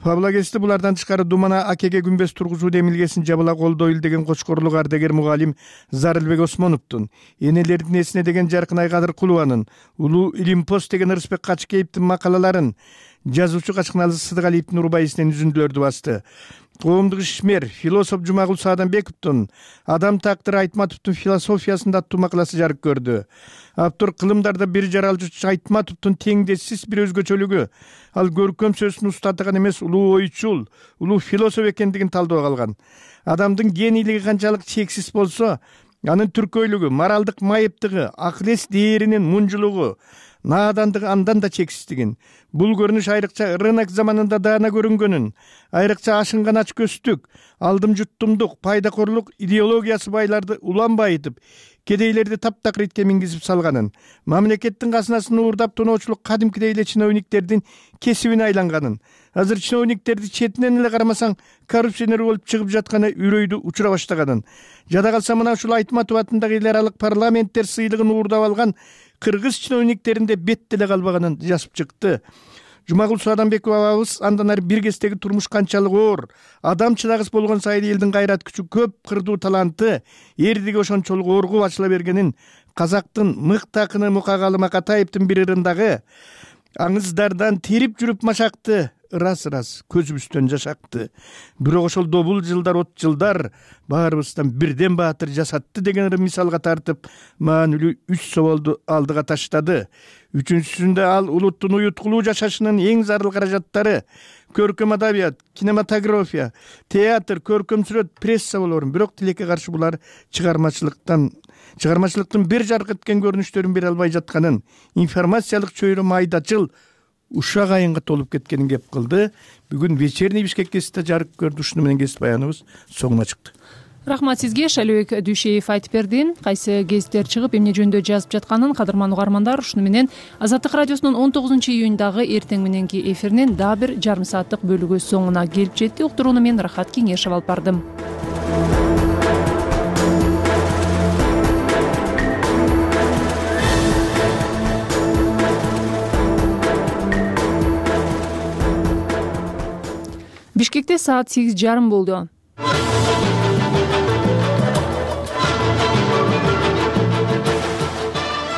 Фабула гезити булардан тышкары Думана акеге күмбөз тургузуу демилгесин жабыла колдойлу деген кочкорлук ардагер мугалим Зарылбек Осмоновдун, энелердин эсине деген Жаркынай Кадыркулованын, Улуу Илимпост деген Ырысбек Качкеевдин макалаларын, жазуучу Качкыналы Сыдыгалиевдин урбайысынан үзүндүлөрдү басты. Коомдук ишмер философ Жумагул Сааданбековдун Адам Тактыр Айтматовдун философиясында аттуу макаласы жарык көрдү. Автор кылымдарда бир жаралчу Айтматовдун теңдессиз бир өзгөчөлүгү, ал көркөм сөзүн устатыган эмес, улуу ойчул, улуу философ экендигин талдоо калган. Адамдын генийлиги канчалык чексиз болсо, анын түркөйлүгү, моралдык майыптыгы, акыл-эс дээринин мунжулугу, наадандыгы андан да чексиздигин. Бул көрүнүш айрыкча рынок заманында даана көрүнгөнүн, айрыкча ашынган ач көздүк, алдым жуттумдук, пайдакорлук идеологиясы байларды улам байытып, кедейлерди таптакыритке мингизип салганын, мамлекеттин казынасын уурдап тоноочулук кадимкидей эле чиновниктердин кесибине айланганын, азыр чиновниктерди четинен эле карамасаң коррупционер болуп чыгып жатканы үрөйдү учура баштаганын, жада калса мына ушул Айтматов атындагы эл аралык парламенттер сыйлыгын уурдап алган кыргыз чиновниктеринде бет деле калбаганын жазып чыкты. Жумагул Сааданбеков абабыз андан ары бир кездеги турмуш канчалык оор, адам чыдагыс болгон сайын элдин кайрат күчү, көп кырдуу таланты эрдиги ошончолук оргуп ачыла бергенин казактын мыкты акыны Мукагалым Акатаевдин бир ырындагы аңыздардан терип жүрүп машакты ырас ырас көзүбүздөн жашакты. Бирок ошол добул жылдар от жылдар баарыбыздан бирден баатыр жасатты деген мисалга тартып, маанилүү үч соболду алдыга таштады. Үчүнчүсүндө ал улуттун уюткулуу жашашынын эң зарыл каражаттары көркөм адабият, кинематография, театр, көркөм сүрөт, пресса болорун. Бирок тилекке каршы булар чыгармачылыктан чыгармачылыктын бир жарк эткен көрүнүштөрүн бере албай жатканын, информациялык чөйрө майдачыл ушак айынга толуп кеткенин кеп кылды. Бүгүн вечерний Бишкек гезитте жарык көрдү. Ушуну менен гезит баяныбыз соңуна чыкты. Рахмат сизге. Шалибек Дүйшеев айтып берди. Кайсы гезиттер чыгып эмне жөнүндө жазып жатканын кадырман угармандар ушуну менен Азаттык радиосунун он тогузунчу июндагы эртең мененки эфиринин дагы бир жарым сааттык бөлүгү соңуна келип жетти. Уктурууну мен Рахат Кеңешев алып бардым. Бишкекте саат сегиз жарым болду.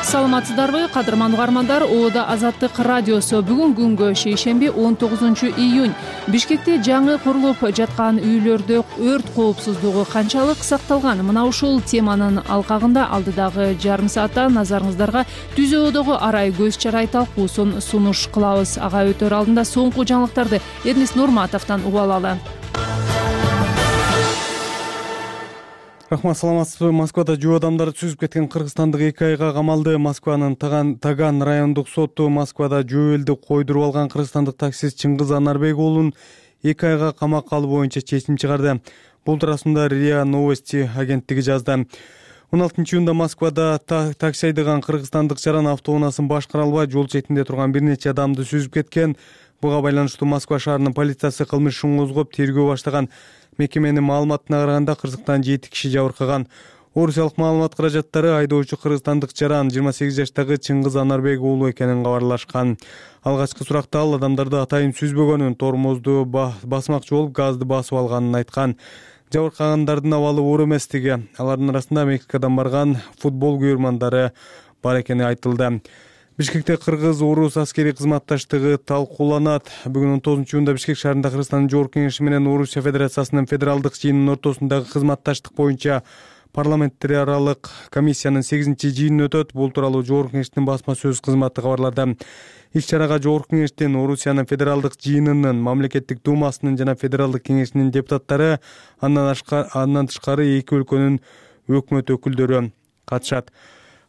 Саламатсыздарбы, кадырман угармандар? Оода Азаттык радиосу. Бүгүн күнгө шейшемби он тогузунчу июнь. Бишкекте жаңы курулуп жаткан үйлөрдө өрт коопсуздугу канчалык сакталган? Мына ушул теманын алкагында алдыдагы жарым саатта назарыңыздарга Түзөөдөгү арай көз чарай талкуусун сунуш кылабыз. Ага өтөр алдында соңку жаңылыктарды Эрнис Нурматовдон угуп алалы. Рахмат, саламатсызбы? Москвада жөө адамдарды сүзүп кеткен кыргызстандык эки айга камалды. Москванын Таган райондук соту Москвада жөө элди койдуруп алган кыргызстандык таксист Чыңгыз Анарбек уулун эки айга камакка алуу боюнча чечим чыгарды. Бул туурасында РИА Новости агенттиги жазды. он алтынчы июнда Москвада такси айдаган кыргызстандык жаран автоунаасын башкара албай жол четинде турган бир нече адамды сүзүп кеткен. Буга байланыштуу Москва шаарынын полициясы кылмыш ишин козгоп тергөө баштаган. Мекеменин маалыматына караганда кырсыктан жети киши жабыркаган. Орусиялык маалымат каражаттары айдоочу кыргызстандык жаран жыйырма сегиз жаштагы Чыңгыз Анарбек уулу экенин кабарлашкан. Алгачкы суракта ал адамдарды атайын сүзбөгөнүн, тормозду басмакчы болуп газды басып алганын айткан. Жабыркагандардын абалы оор эместиги, алардын арасында Мексикадан барган футбол күйөрмандары бар экени айтылды. Бишкекте кыргыз-орус аскерий кызматташтыгы талкууланат. Бүгүн он тогузунчу июнда Бишкек шаарында Кыргызстандын Жогорку Кеңеши менен Орусия Федерациясынын федералдык жыйынынын ортосундагы кызматташтык боюнча парламенттер аралык комиссиянын сегизинчи жыйыны өтөт. Бул тууралуу Жогорку Кеңештин басма сөз кызматы кабарлады. Иш-чарага Жогорку Кеңештин, Орусиянын федералдык жыйынынын, мамлекеттик думасынын жана федералдык кеңешинин депутаттары, андан тышкары эки өлкөнүн өкмөт өкүлдөрү катышат.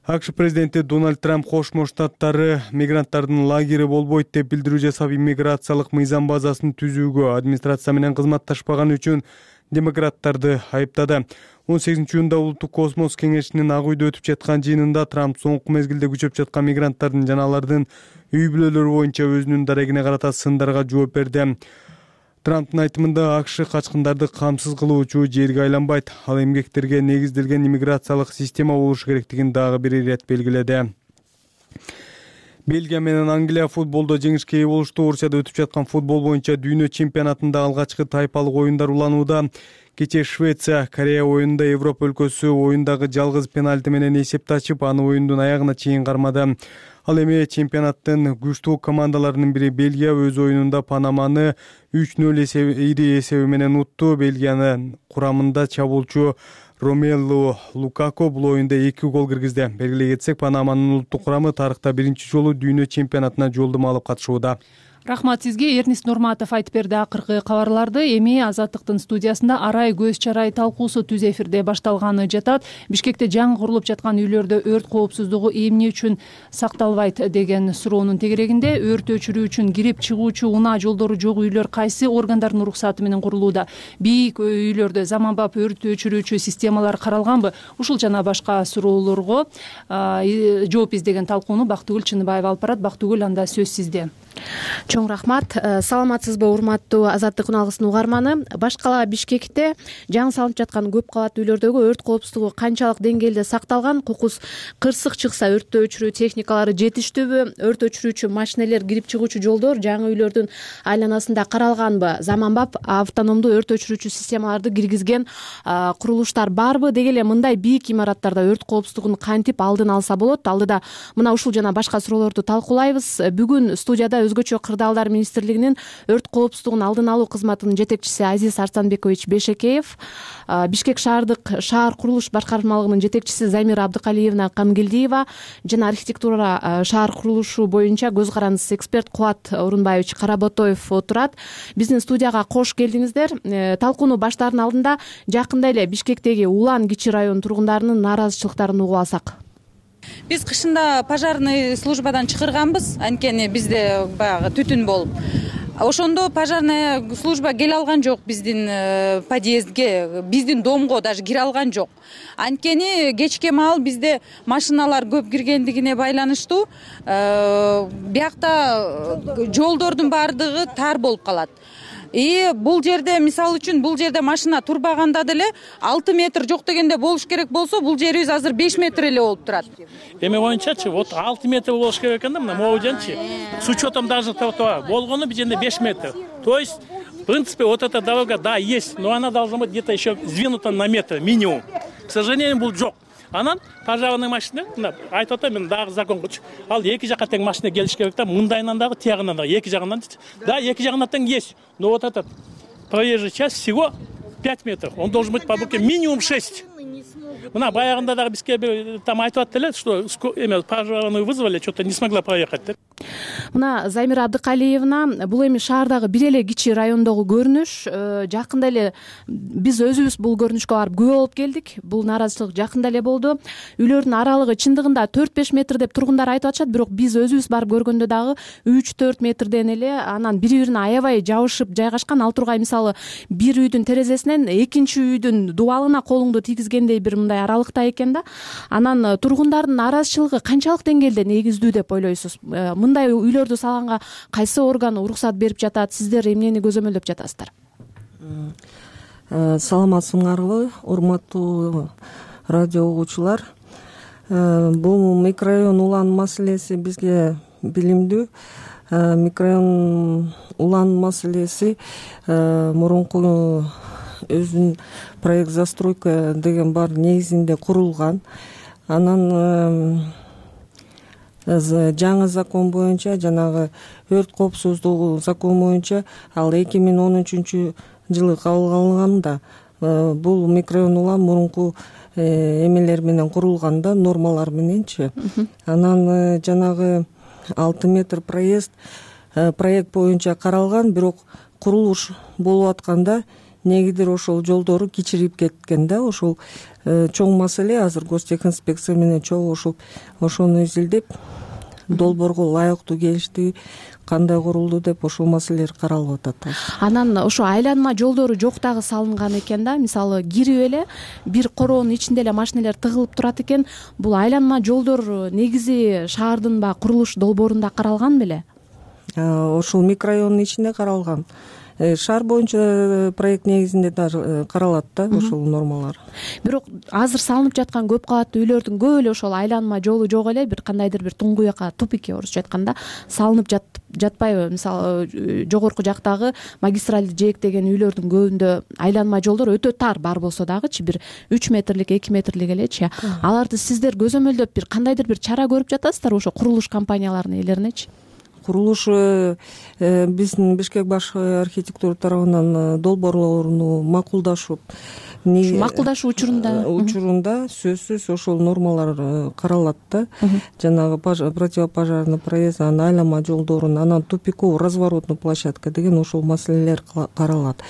АКШ президенти Дональд Трамп Кошмо Штаттары мигранттардын лагери болбойт деп билдирүү жасап, иммиграциялык мыйзам базасын түзүүгө администрация менен кызматташпаган үчүн демократтарды айыптады. он сегизинчи июнда Улуттук космос кеңешинин Ак үйдө өтүп жаткан жыйынында Трамп соңку мезгилде күчөп жаткан мигранттардын жана алардын үй бүлөлөрү боюнча өзүнүн дарегине карата сындарга жооп берди. Трамптын айтымында АКШ качкындарды камсыз кылуучу жерге айланбайт. Ал эмгектерге негизделген иммиграциялык система болушу керектигин дагы бир ирет белгиледи. Бельгия менен Англия футболдо жеңишке ээ болушту. Орусияда өтүп жаткан футбол боюнча дүйнө чемпионатында алгачкы тайпалык оюндар уланууда. Кечээ Швеция Корея оюнунда Европа өлкөсү оюндагы жалгыз пенальти менен эсепти ачып, аны оюндун аягына чейин кармады. Ал эми чемпионаттын күчтүү командаларынын бири Бельгия өз оюнунда Панаманы үч нөл ири эсеби менен утту. Бельгиянын курамында чабуулчу Ромелу Лукако бул оюнда эки гол киргизди. Белгилей кетсек, Панаманын улуттук курамы тарыхта биринчи жолу дүйнө чемпионатына жолдомо алып катышууда. Рахмат сизге. Эрнис Нурматов айтып берди акыркы кабарларды. Эми Азаттыктын студиясында арай көз чарай талкуусу түз эфирде башталганы жатат. Бишкекте жаңы курулуп жаткан үйлөрдө өрт коопсуздугу эмне үчүн сакталбайт деген суроонун тегерегинде өрт өчүрүү үчүн кирип чыгуучу унаа жолдору жок үйлөр кайсы органдардын уруксаты менен курулууда? Бийик үйлөрдө заманбап өрт өчүрүүчү системалар каралганбы? Ушул жана башка суроолорго жооп издеген талкууну Бактыгүл Чыныбаева алып барат. Бактыгүл, анда сөз сизде. Чоң рахмат. Саламатсызбы, урматтуу Азаттык үналгысынын угарманы? Баш кала Бишкекте жаңы салынып жаткан көп кабаттуу үйлөрдөгү өрт коопсуздугу канчалык деңгээлде сакталган? Кокус кырсык чыкса өрттү өчүрүү техникалары жетиштүүбү? Өрт өчүрүүчү машинелер кирип чыгуучу жолдор жаңы үйлөрдүн айланасында каралганбы? Заманбап автономдуу өрт өчүрүүчү системаларды киргизген курулуштар барбы? Деги эле мындай бийик имараттарда өрт коопсуздугун кантип алдын алса болот? Алдыда мына ушул жана башка суроолорду талкуулайбыз. Бүгүн студияда өзгөчө кырдаалдар министрлигинин өрт коопсуздугун алдын алуу кызматынын жетекчиси Азиз Арсанбекович Бешекеев, Бишкек шаардык шаар курулуш башкармалыгынын жетекчиси Замира Абдыкалиевна Камгелдиева жана архитектура шаар курулушу боюнча көз карандысыз эксперт Кубат Орунбаевич Каработоев отурат. Биздин студияга кош келдиңиздер. Талкууну баштаардын алдында жакында эле Бишкектеги Улан кичи район тургундарынын нааразычылыктарын угуп алсак. Биз кышында пожарный службадан чакырганбыз, анткени бизде баягы түтүн болуп. Ошондо пожарная служба келе алган жок биздин подъездге, биздин домго даже кире алган жок. Анткени кечке маал бизде машиналар көп киргендигине байланыштуу биякта жолдордун баардыгы тар болуп калат. И бул жерде мисалы үчүн бул жерде машина турбаганда деле алты метр жок дегенде болуш керек болсо, бул жерибиз азыр беш метр эле болуп турат. Эми оюнчачы, вот алты метр болуш керек экен да, мына могу жерчи. С учетом даже того, болгону бул жерде беш метр. То есть, в принципе, вот эта дорога, да, есть, но она должна быть где-то еще сдвинута на метр минимум. К сожалению, бул жок. Анан пожарный машина, айтып атам мен дагы закон кылчу. Ал эки жакка тең машина келиш керек да, мындайынан дагы, тиягынан дагы, эки жагынан. Да, эки жагынан тең есть. Но вот этот проезжая часть всего пять метров. Он должен быть по бокке минимум шесть. Мына баягында дагы бизге там айтып аттылар, что эме пожарную вызвали, что-то не смогла проехать. Мына Замира Абдыкалиевна, бул эми шаардагы бир эле кичи райондогу көрүнүш. Жакында эле биз өзүбүз бул көрүнүшкө барып күбө болуп келдик. Бул нааразычылык жакында эле болду. Үйлөрдүн аралыгы чындыгында төрт беш метр деп тургундар айтып атышат, бирок биз өзүбүз барып көргөндө дагы үч төрт метрден эле анан бири-бирине аябай жабышып жайгашкан. Ал тургай мисалы бир үйдүн терезесинен экинчи үйдүн дубалына колуңду тийгизгендей бир мындай аралыкта экен да. Анан тургундардын нааразычылыгы канчалык деңгээлде негиздүү деп ойлойсуз? Мындай үйлөрдү салганга кайсы орган уруксат берип жатат? Сиздер эмнени көзөмөлдөп жатасыздар? Саламатсыңарбы, урматтуу радио угуучулар. Бул микрорайон улан маселеси бизге билимдүү. Микрорайон улан маселеси мурунку өзүнүн проект застройка деген бар негизинде курулган. Анан жаңы закон боюнча, жанагы өрт коопсуздугу закон боюнча ал эки миң он үчүнчү жылы кабыл алынганда бул микрорайон улам мурунку эмелер менен курулган да, нормалар мененчи. Анан жанагы алты метр проезд проект боюнча каралган, бирок курулуш болуп атканда негидир ошол жолдору кичирип кеткен да. Ошол чоң маселе азыр гостехинспекция менен чогулушуп ошону изилдеп, долбоорго ылайыктуу келишти, кандай курулду деп ошол маселелер каралып атат. Анан ошо айланма жолдору жок дагы салынган экен да. Мисалы кирип эле бир короонун ичинде эле машинелер тыгылып турат экен. Бул айланма жолдор негизи шаардын баягы курулуш долбоорунда каралган беле? Ошол микрорайондун ичинде каралган. Шаар боюнча проект негизинде даже каралат да ошол нормалар. Бирок азыр салынып жаткан көп кабаттуу үйлөрдүн көбү эле ошол айланма жолу жок эле, бир кандайдыр бир туңгуякка, тупикке орусча айтканда салынып жатпайбы? Мисалы жогорку жактагы магистралды жээктеген үйлөрдүн көбүндө айланма жолдор өтө тар бар болсо дагычы бир үч метрлик, эки метрлик элечи. Аларды сиздер көзөмөлдөп бир кандайдыр бир чара көрүп жатасыздар ошо курулуш компанияларынын ээлеринечи? Курулуш биздин Бишкек баш архитектура тарабынан долбоорлоруну макулдашып, макулдашуу учурунда учурунда сөзсүз ошол нормалар каралат да. Жанагы противопожарный проезд, анан айланма жолдорун, анан тупиковый разворотный площадка деген ошол маселелер каралат.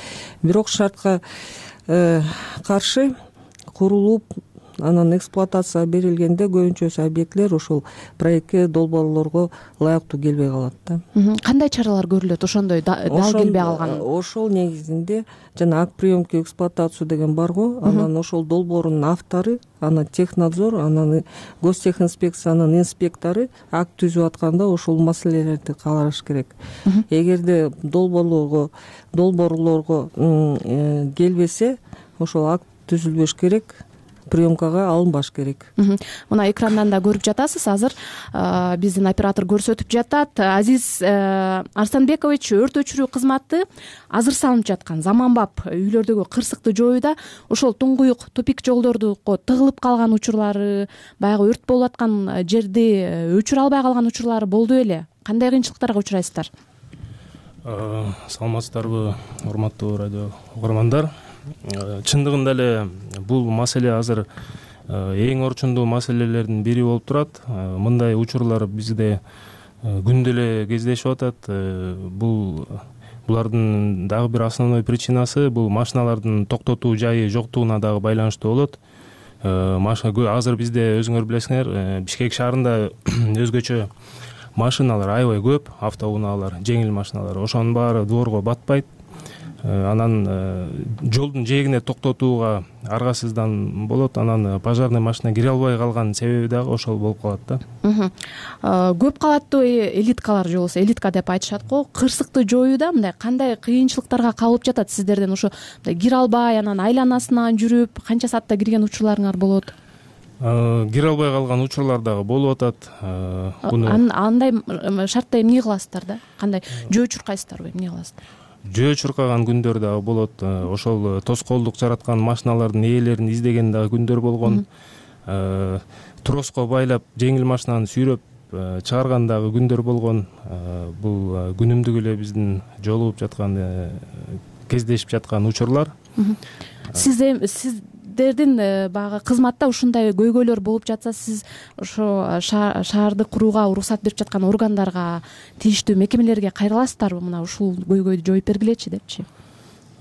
Бирок шартка каршы курулуп, анан эксплуатацияга берилгенде көбүнчөсү объектилер ошол проектке, долбоорлорго ылайыктуу келбей калат да. Кандай чаралар көрүлөт ошондой дал келбей калган? Ошол негизинде жана акт приемки эксплуатацию деген бар го. Анан ошол долбоордун автору, анан технадзор, анан гостехинспекциянын инспектору акт түзүп атканда ошол маселелерди караш керек. Эгерде долбоорлорго долбоорлорго келбесе, ошол акт түзүлбөш керек. приемкага алынбаш керек. Мына экрандан да көрүп жатасыз, азыр биздин оператор көрсөтүп жатат. Азиз Арсанбекович, өрт өчүрүү кызматы азыр салынып жаткан заманбап үйлөрдөгү кырсыкты жоюуда ошол туңгуюк тупик жолдорду тыгылып калган учурлары, баягы өрт болуп аткан жерди өчүрө албай калган учурлары болду беле? Кандай кыйынчылыктарга учурайсыздар? Саламатсыздарбы, урматтуу радио угармандар. Чындыгында эле бул маселе азыр эң орчундуу маселелердин бири болуп турат. Мындай учурлар бизде күндө эле кездешип атат. Бул булардын дагы бир основной причинасы бул машиналардын токтотуу жайы жоктугуна дагы байланыштуу болот. Азыр бизде өзүңөр билесиңер, Бишкек шаарында өзгөчө машиналар аябай көп, автоунаалар, жеңил машиналар. Ошонун баары дворго батпайт. Анан жолдун жээгине токтотууга аргасыздан болот. Анан пожарный машина кире албай калган себеби дагы ошол болуп калат да. Көп кабаттуу элиткалар же болбосо элитка деп айтышат го. Кырсыкты жоюуда мындай кандай кыйынчылыктарга калып жатат сиздерден? Ошо кире албай, анан айланасынан жүрүп, канча саатта кирген учурларыңар болот? Кире албай калган учурлар дагы болуп атат. Андай шартта эмне кыласыздар да? Кандай жөө чуркайсыздарбы, эмне кыласыздар? Жөө чуркаган күндөр дагы болот. Ошол тоскоолдук жараткан машиналардын ээлерин издеген дагы күндөр болгон. Троско байлап жеңил машинаны сүйрөп чыгарган дагы күндөр болгон. Бул күнүмдүк эле биздин жолугуп жаткан, кездешип жаткан учурлар. Сиз сиздердин баягы кызматта ушундай көйгөйлөр болуп жатса, сиз ошо шаарды курууга уруксат берип жаткан органдарга, тийиштүү мекемелерге кайрыласыздарбы? Мына ушул көйгөйдү жоюп бергилечи депчи.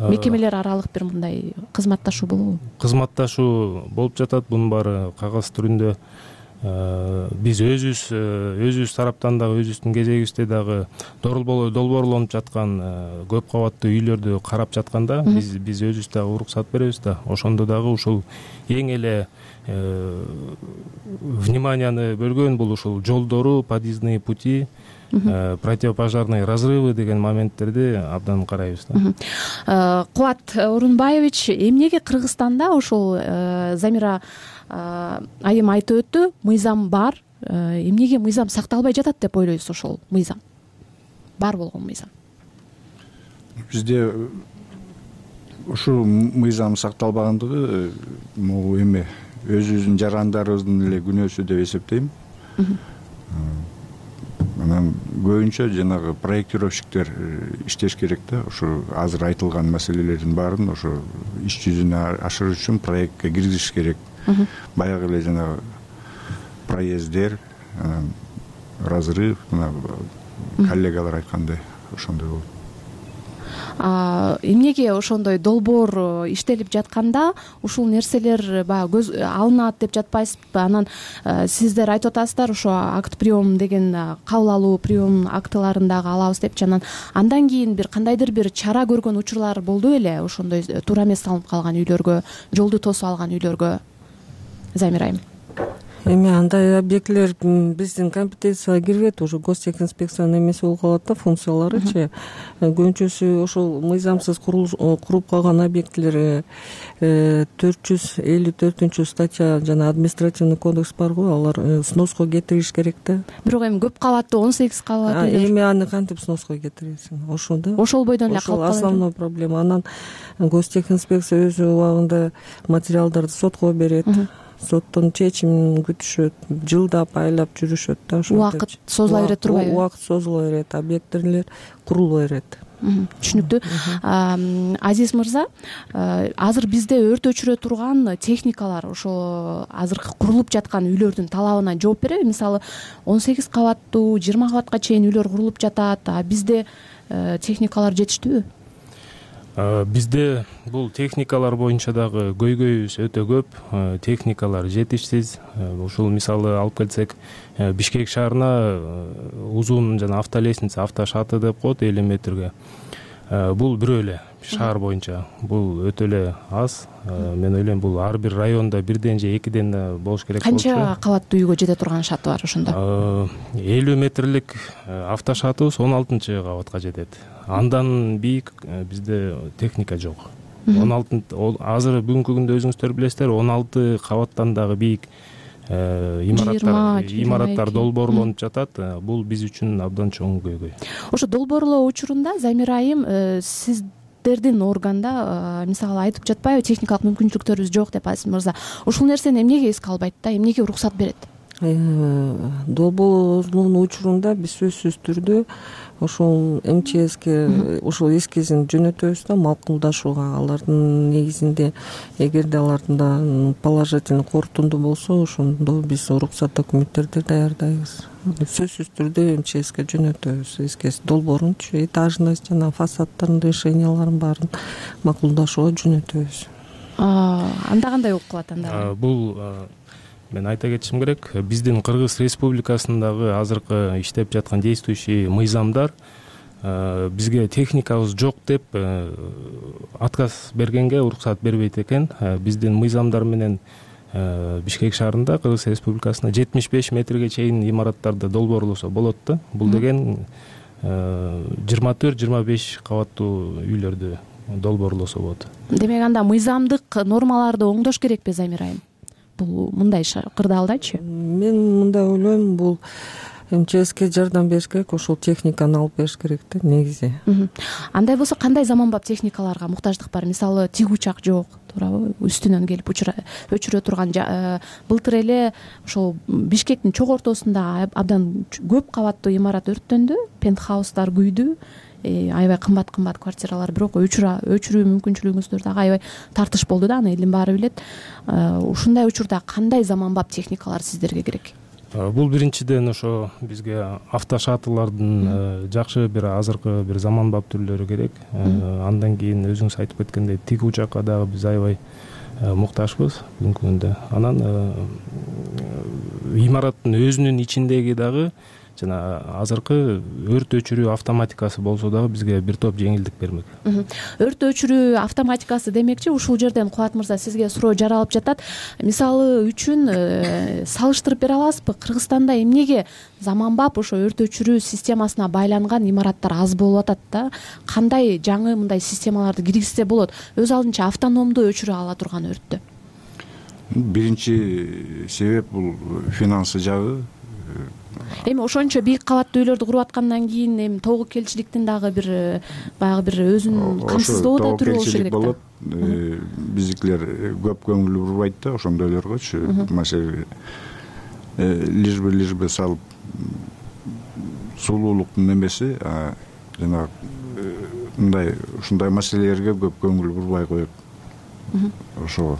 Мекемелер аралык бир мындай кызматташуу болобу? Кызматташуу болуп жатат. Бунун баары кагаз түрүндө. Биз өзүбүз өзүбүз тараптан дагы өзүбүздүн кезегибизде дагы долбоорлонуп жаткан көп кабаттуу үйлөрдү карап жатканда биз биз өзүбүз дагы уруксат беребиз да. Ошондо дагы ушул эң эле вниманияны бөлгөн бул ушул жолдору, подъездные пути, противопожарные разрывы деген моменттерди абдан карайбыз да. Кубат Орунбаевич, эмнеге Кыргызстанда ошол Замира айым айтып өттү, мыйзам бар, эмнеге мыйзам сакталбай жатат деп ойлойсуз? Ошол мыйзам бар болгон мыйзам бизде ушул мыйзам сакталбагандыгы могу эме өзүбүздүн жарандарыбыздын эле күнөөсү деп эсептейм. Анан көбүнчө жанагы проектировщиктер иштеш керек да. Ошо азыр айтылган маселелердин баарын ошо иш жүзүнө ашырыш үчүн проектке киргизиш керек. Баягы эле жанагы проезддер, анан разрыв, мына коллегалар айткандай ошондой болот. Эмнеге ошондой долбоор иштелип жатканда ушул нерселер баягы көз алынат деп жатпайсызбы? Анан сиздер айтып атасыздар, ошо акт прием деген кабыл алуу прием актыларын дагы алабыз депчи. Анан андан кийин бир кандайдыр бир чара көргөн учурлар болду беле? Ошондой туура эмес салынып калган үйлөргө, жолду тосуп алган үйлөргө? Замира айым. Эми андай объектилер биздин компетенцияга кирбейт, уже гостехинспекциянын эмеси болуп калат да, функцияларычы. Көбүнчөсү ошол мыйзамсыз куруп калган объектилер төрт жүз элүү төртүнчү статья жана административный кодекс бар го, алар сноско кетириш керек да. Бирок эми көп кабаттуу он сегиз кабат эми аны кантип сноско кетиресиң? Ошо да. Ошол бойдон эле калып калат. Ошол основной проблема. Анан гостехинспекция өз убагында материалдарды сотко берет. Соттун чечимин күтүшөт, жылдап айлап жүрүшөт да. Убакыт созула берет турбайбы? Убакыт созула берет, объекттер курулуп берет. Түшүнүктүү. Азиз мырза, азыр бизде өрт өчүрө турган техникалар ошо азыр курулуп жаткан үйлөрдүн талабына жооп береби? Мисалы он сегиз кабаттуу, жыйырма кабатка чейин үйлөр курулуп жатат, а бизде техникалар жетиштүүбү? Бизде бул техникалар боюнча дагы көйгөйүбүз өтө көп. Техникалар жетишсиз. Ушул мисалы алып келсек, Бишкек шаарына узун жана автолестница, автошаты деп коет элүү метрге. Бул бирөө эле шаар боюнча. Бул өтө эле аз. Мен ойлойм, бул ар бир райондо бирден же экиден да болуш керек болчу. Канча кабаттуу үйгө жете турган шаты бар ошондо? элүү метрлик автошатыбыз он алтынчы кабатка жетет. Андан бийик бизде техника жок. он алты азыр бүгүнкү күндө өзүңүздөр билесиздер он алты кабаттан дагы бийик имараттар имараттар долбоорлонуп жатат. Бул биз үчүн абдан чоң көйгөй. Ошо долбоорлоо учурунда Замира айым сиздердин органда мисалы айтып жатпайбы, техникалык мүмкүнчүлүктөрүбүз жок деп Азиз мырза. Ушул нерсени эмнеге эске албайт да, эмнеге уруксат берет? Долбоорлоонун учурунда биз сөзсүз түрдө ошол МЧСке ошол эскизин жөнөтөбүз да макулдашууга. Алардын негизинде эгерде алардын положительный корутунду болсо, ошондо биз уруксат документтерди даярдайбыз. Сөзсүз түрдө МЧСке жөнөтөбүз эскиз долбоорунчу, этажность жана фасадтын решенияларын баарын макулдашууга жөнөтөбүз. Анда кандай болуп калат анда? Бул мен айта кетишим керек, биздин Кыргыз Республикасындагы азыркы иштеп жаткан действующий мыйзамдар бизге техникабыз жок деп отказ бергенге уруксат бербейт экен. Биздин мыйзамдар менен Бишкек шаарында Кыргыз Республикасында жетимиш беш метрге чейин имараттарды долбоорлосо болот да. Бул деген жыйырма төрт жыйырма беш кабаттуу үйлөрдү долбоорлосо болот. Демек анда мыйзамдык нормаларды оңдош керекпи, Замира айым? Бул мындай кырдаалдачы? Мен мындай ойлойм, бул МЧСке жардам бериш керек, ошол техниканы алып бериш керек да негизи. Андай болсо кандай заманбап техникаларга муктаждык бар? Мисалы тиг учак жок, туурабы? Үстүнөн келип өчүрө турган. Былтыр эле ошол Бишкектин чок ортосунда абдан көп кабаттуу имарат өрттөндү, пентхаустар күйдү. Аябай кымбат кымбат квартиралар, бирок өчүрүү мүмкүнчүлүгүңүздөр дагы аябай тартыш болду да, аны элдин баары билет. Ушундай учурда кандай заманбап техникалар сиздерге керек? Бул биринчиден ошо бизге автошаттылардын жакшы бир азыркы бир заманбап түрлөрү керек. Андан кийин өзүңүз айтып кеткендей тиг учакка дагы биз аябай муктажбыз бүгүнкү күндө. Анан имараттын өзүнүн ичиндеги дагы жана азыркы өрт өчүрүү автоматикасы болсо дагы бизге бир топ жеңилдик бермек. Өрт өчүрүү автоматикасы демекчи, ушул жерден Кубат мырза сизге суроо жаралып жатат. Мисалы үчүн салыштырып бере аласызбы? Кыргызстанда эмнеге заманбап ошо өрт өчүрүү системасына байланган имараттар аз болуп атат да? Кандай жаңы мындай системаларды киргизсе болот? Өз алдынча автономдуу өчүрө ала турган өрттү. Биринчи себеп бул финансы жагы. Эми ошончо бийик кабаттуу үйлөрдү куруп аткандан кийин эми тобокелчиликтин дагы бир баягы бир өзүн камсыздоо да түрү болушу керек да. Биздикилер көп көңүл бурбайт да ошондойлоргочу. Маселе лишь бы лишь бы салып сулуулуктун эмеси, жана мындай ушундай маселелерге көп көңүл бурбай коет. Ошого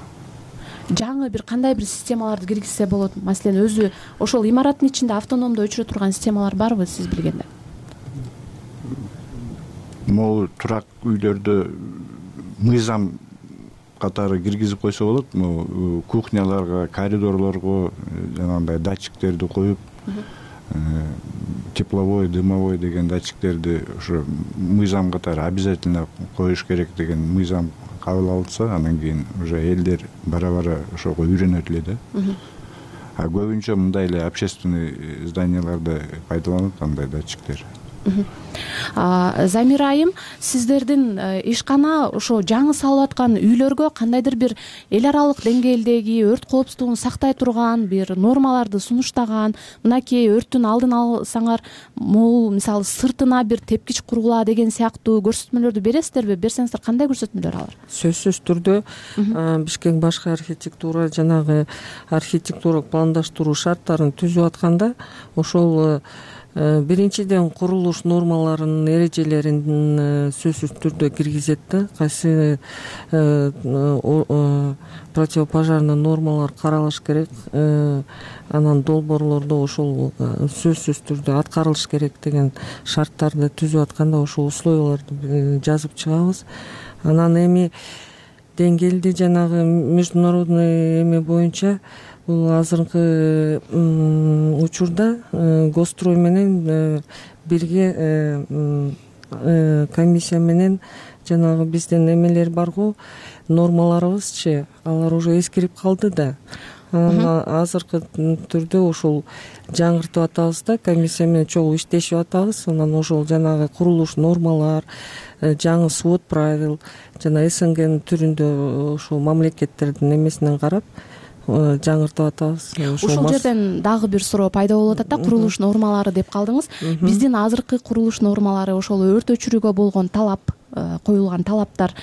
жаңы бир кандай бир системаларды киргизсе болот? Маселен, өзү ошол имараттын ичинде автономдуу өчүрө турган системалар барбы сиз билгенде? Могу турак үйлөрдө мыйзам катары киргизип койсо болот. Могу кухняларга, коридорлорго жанагындай датчиктерди коюп, тепловой, дымовой деген датчиктерди ошо мыйзам катары обязательно коюш керек деген мыйзам кабыл алынса, анан кийин уже элдер бара-бара ошого үйрөнөт эле да. А көбүнчө мындай эле общественный зданияларда пайдаланат андай датчиктер. Замира айым, сиздердин ишкана ошо жаңы салып аткан үйлөргө кандайдыр бир эл аралык деңгээлдеги өрт коопсуздугун сактай турган бир нормаларды сунуштаган, мынакей өрттүн алдын алсаңар, могул мисалы сыртына бир тепкич кургула деген сыяктуу көрсөтмөлөрдү бересиздерби? Берсеңиздер кандай көрсөтмөлөр алар? Сөзсүз түрдө Бишкек башкы архитектура жанагы архитектуралык пландаштыруу шарттарын түзүп атканда ошол биринчиден курулуш нормаларынын эрежелерин сөзсүз түрдө киргизет да. Кайсы противопожарный нормалар каралыш керек, анан долбоорлордо ошол сөзсүз түрдө аткарылыш керек деген шарттарды түзүп атканда ошол условияларды жазып чыгабыз. Анан эми деңгээлди жанагы международный эме боюнча бул азыркы учурда Госстрой менен бирге комиссия менен жанагы биздин эмелер бар го, нормаларыбызчы, алар уже эскирип калды да. анан азыркы түрдө ошол жаңыртып атабыз да, комиссия менен чогуу иштешип атабыз. Анан ошол жанагы курулуш нормалар, жаңы свод правил жана СНГнын түрүндө ошол мамлекеттердин эмесинен карап жаңыртып атабыз. Ушул жерден дагы бир суроо пайда болуп атат да, курулуш нормалары деп калдыңыз. Биздин азыркы курулуш нормалары ошол өрт өчүрүүгө болгон талап, коюлган талаптар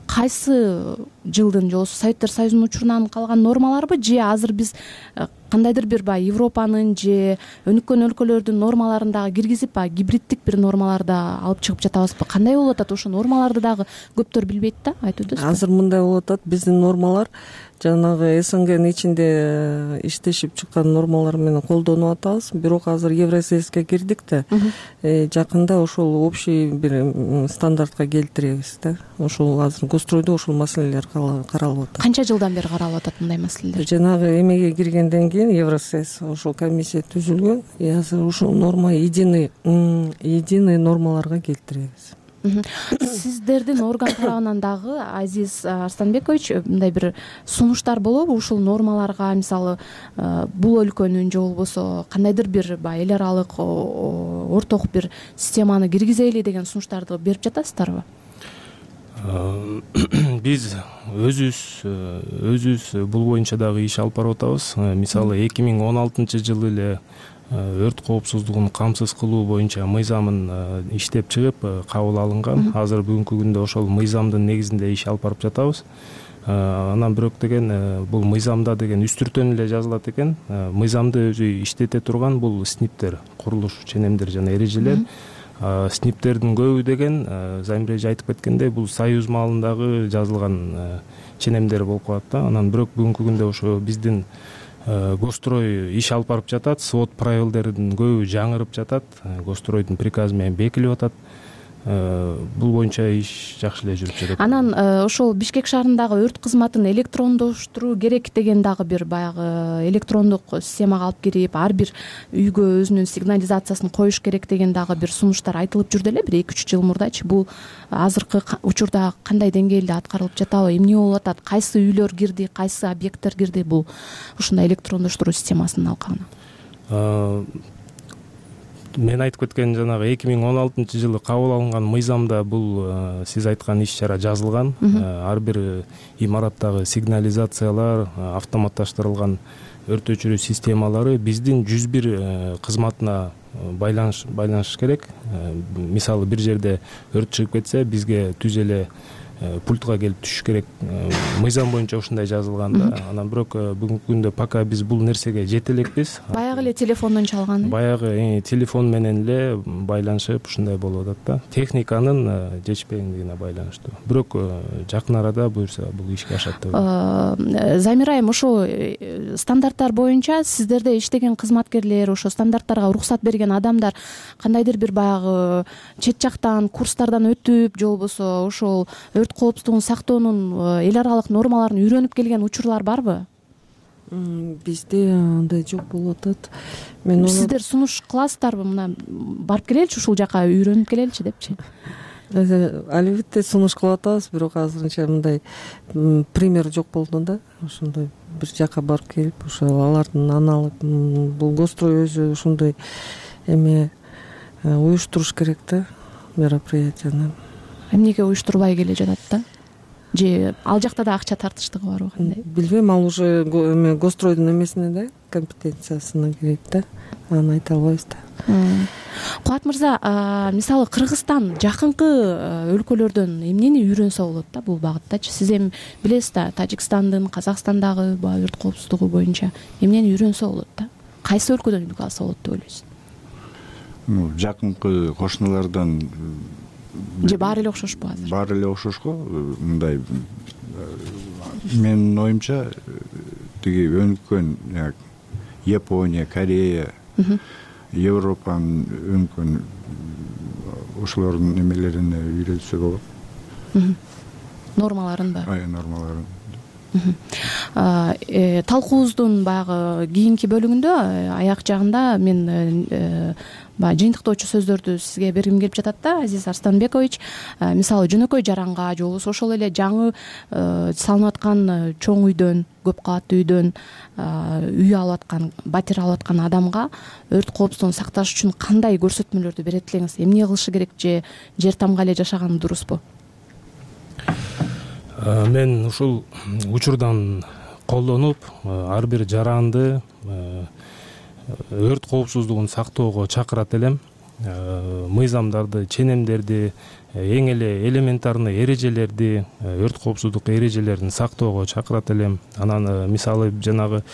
кайсы жылдын же Советтер Союзунун учурунан калган нормаларбы, же азыр биз кандайдыр бир баягы Европанын же өнүккөн өлкөлөрдүн нормаларын дагы киргизип, баягы гибриддик бир нормаларды алып чыгып жатабызбы? Кандай болуп атат? Ошо нормаларды дагы көптөр билбейт да, айтып өтөсүзбү? Азыр мындай болуп атат, биздин нормалар жанагы СНГнын ичинде иштешип чыккан нормалар менен колдонуп атабыз. Бирок азыр Евросоюзга кирдик да, жакында ошол общий бир стандартка келтиребиз да. Ошол азыр гостройдо ошол маселелер каралып атат. Канча жылдан бери каралып атат мындай маселелер? Жанагы эмеге киргенден кийин Евросоюз ошол комиссия түзүлгөн. Азыр ушул норма единый единый нормаларга келтиребиз. Сиздердин орган тарабынан дагы, Азиз Арстанбекович, мындай бир сунуштар болобу ушул нормаларга? Мисалы, бул өлкөнүн же болбосо кандайдыр бир баягы эл аралык орток бир системаны киргизели деген сунуштарды берип жатасыздарбы? Биз өзүбүз өзүбүз бул боюнча дагы иш алып барып атабыз. Мисалы, эки миң он алтынчы жылы эле өрт коопсуздугун камсыз кылуу боюнча мыйзамын иштеп чыгып кабыл алынган. Азыр бүгүнкү күндө ошол мыйзамдын негизинде иш алып барып жатабыз. Анан бирок деген бул мыйзамда деген үстүртөн эле жазылат экен. Мыйзамды өзү иштете турган бул сниптер, курулуш ченемдер жана эрежелер. Сниптердин көбү деген Замир эже айтып кеткендей, бул Союз маалындагы жазылган ченемдер болуп калат да. Анан бирок бүгүнкү күндө ошо биздин Гострой иш алып барып жатат, свод правилдердин көбү жаңырып жатат, Гостройдун приказы менен бекилип атат. Бул боюнча иш жакшы эле жүрүп жатат. Анан ошол Бишкек шаарындагы өрт кызматын электрондоштуруу керек деген дагы бир баягы электрондук системага алып кирип, ар бир үйгө өзүнүн сигнализациясын коюш керек деген дагы бир сунуштар айтылып жүрдү эле бир эки үч жыл мурдачы. Бул азыркы учурда кандай деңгээлде аткарылып жатабы, эмне болуп атат, кайсы үйлөр кирди, кайсы объекттер кирди бул ушундай электрондоштуруу системасынын алкагына? Мен айтып кеткен жанагы эки миң он алтынчы жылы кабыл алынган мыйзамда бул сиз айткан иш чара жазылган. Ар бир имараттагы сигнализациялар, автоматташтырылган өрт өчүрүү системалары биздин жүз бир кызматына байланыш байланыш керек. Мисалы, бир жерде өрт чыгып кетсе, бизге түз эле пультка келип түшүш керек. Мыйзам боюнча ушундай жазылган да. Анан бирок бүгүнкү күндө пока биз бул нерсеге жете элекпиз. Баягы эле телефондон чалган. Баягы телефон менен эле байланышып ушундай болуп атат да. Техниканын жетишпегендигине байланыштуу. Бирок жакын арада буюрса бул ишке ашат деп ойлойм. Замир айым, ошо стандарттар боюнча сиздерде иштеген кызматкерлер, ошо стандарттарга уруксат берген адамдар кандайдыр бир баягы чет жактан курстардан өтүп, же болбосо ошол өрт коопсуздугун сактоонун эл аралык нормаларын үйрөнүп келген учурлар барбы? Бизде андай жок болуп атат. Мен сиздер сунуш кыласыздарбы, мына барып келеличи ушул жака үйрөнүп келеличи депчи? Албетте сунуш кылып атабыз, бирок азырынча мындай пример жок болду да. Ошондой бир жака барып келип, ошо алардын аналык бул Гострой өзү ушундай эме уюштуруш керек да, мероприятияны. Эмнеге уюштурбай келе жатат да? Же ал жакта да акча тартыштыгы барбы, кандай? Билбейм, ал уже эме Гостройдун эмесине да, компетенциясына кирет да. Аны айта албайбыз да. Кубат мырза, мисалы Кыргызстан жакынкы өлкөлөрдөн эмнени үйрөнсө болот да бул багыттачы? Сиз эми билесиз да, Тажикстандын, Казакстандагы баягы өрт коопсуздугу боюнча эмнени үйрөнсө болот да? Кайсы өлкөдөн үлгү алса болот деп ойлойсуз? Ну, жакынкы кошуналардан же баары эле окшошпу азыр? Баары эле окшош го. Мындай менин оюмча тиги өнүккөн Япония, Корея, Европанын өнүккөн ошолордун эмелерине үйрөнсө болот. Нормаларын да? Ай, нормаларын. талкуубуздун баягы кийинки бөлүгүндө аяк жагында мен баягы жыйынтыктоочу сөздөрдү сизге бергим келип жатат да, Азиз Арстанбекович. Мисалы жөнөкөй жаранга же болбосо ошол эле жаңы салынып аткан чоң үйдөн, көп кабаттуу үйдөн үй алып аткан, батир алып аткан адамга өрт коопсуздугун сакташ үчүн кандай көрсөтмөлөрдү берет элеңиз? Эмне кылышы керек, же жер тамга эле жашаган дурусбу? Мен ушул учурдан колдонуп ар бир жаранды өрт коопсуздугун сактоого чакырат элем. Мыйзамдарды, ченемдерди, эң эле элементарный эрежелерди, өрт коопсуздук эрежелерин сактоого чакырат элем. Анан мисалы жанагы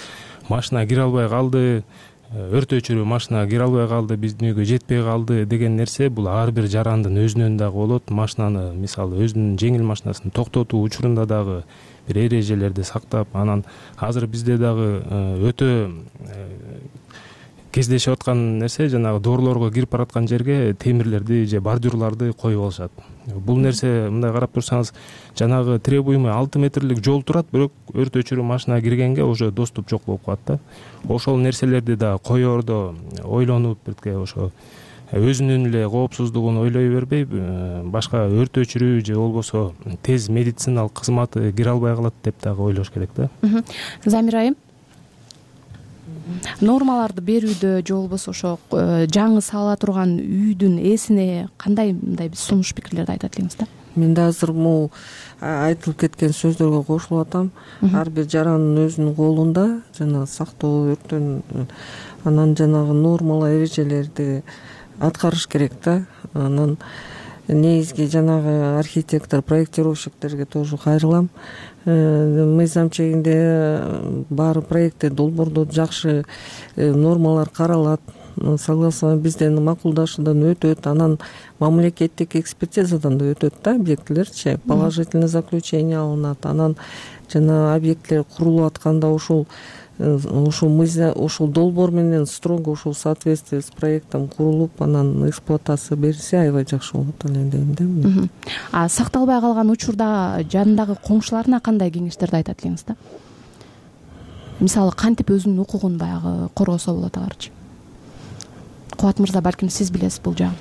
машина кире албай калды, өрт өчүрүү машина кире албай калды, биздин үйгө жетпей калды деген нерсе бул ар бир жарандын өзүнөн дагы болот. Машинаны мисалы өзүнүн жеңил машинасын токтотуу учурунда дагы бир эрежелерди сактап, анан азыр бизде дагы өтө кездешип аткан нерсе жанагы доорлорго кирип бараткан жерге темирлерди же бордюрларды коюп алышат. Бул нерсе мындай карап турсаңыз, жанагы требуемый алты метрлик жол турат, бирок өрт өчүрүү машина киргенге уже доступ жок болуп калат да. Ошол нерселерди да коердо ойлонуп, бирке ошо өзүнүн эле коопсуздугун ойлой бербей, башка өрт өчүрүү же болбосо тез медициналык кызматы кире албай калат деп дагы ойлош керек да. Замир айым, нормаларды берүүдө же болбосо ошо жаңы салыла турган үйдүн ээсине кандай мындай сунуш пикирлерди айтат элеңиз да? Мен да азыр могу айтылып кеткен сөздөргө кошулуп атам. Ар бир жарандын өзүнүн колунда жана сактоо өрттөн, анан жанагы нормалар, эрежелерди аткарыш керек да. Анан негизги жанагы архитектор, проектировщиктерге тоже кайрылам. Мыйзам чегинде баары проекттер, долбоордо жакшы нормалар каралат, согласование бизден макулдашуудан өтөт, анан мамлекеттик экспертизадан да өтөт да объектилерчи, положительный заключение алынат. Анан жана объекттер курулуп атканда ушул ушул мыйзам, ушул долбоор менен строго ушул соответствие с проектом курулуп, анан эксплуатация берилсе аябай жакшы болот эле дейм да. А сакталбай калган учурда жанындагы коңшуларына кандай кеңештерди айтат элеңиз да? Мисалы кантип өзүнүн укугун баягы коргосо болот аларчы? Кубат мырза, балким сиз билесиз бул жагын.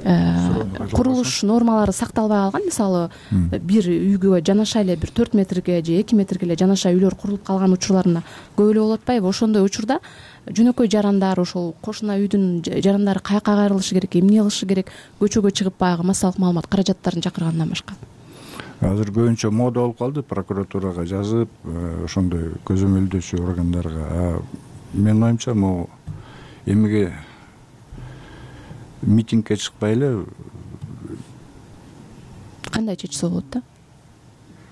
Курулуш нормалары сакталбай калган, мисалы бир үйгө жанаша эле бир төрт метрге же эки метрге эле жанаша үйлөр курулуп калган учурларына көп эле болуп атпайбы? Ошондой учурда жөнөкөй жарандар, ошол кошуна үйдүн жарандары каяка кайрылышы керек, эмне кылышы керек, көчөгө чыгып баягы массалык маалымат каражаттарын чакыргандан башка? Азыр көбүнчө мода болуп калды, прокуратурага жазып, ошондой көзөмөлдөөчү органдарга. Менин оюмча, могу эмеге митингге чыкпай эле кандай чечсе болот да?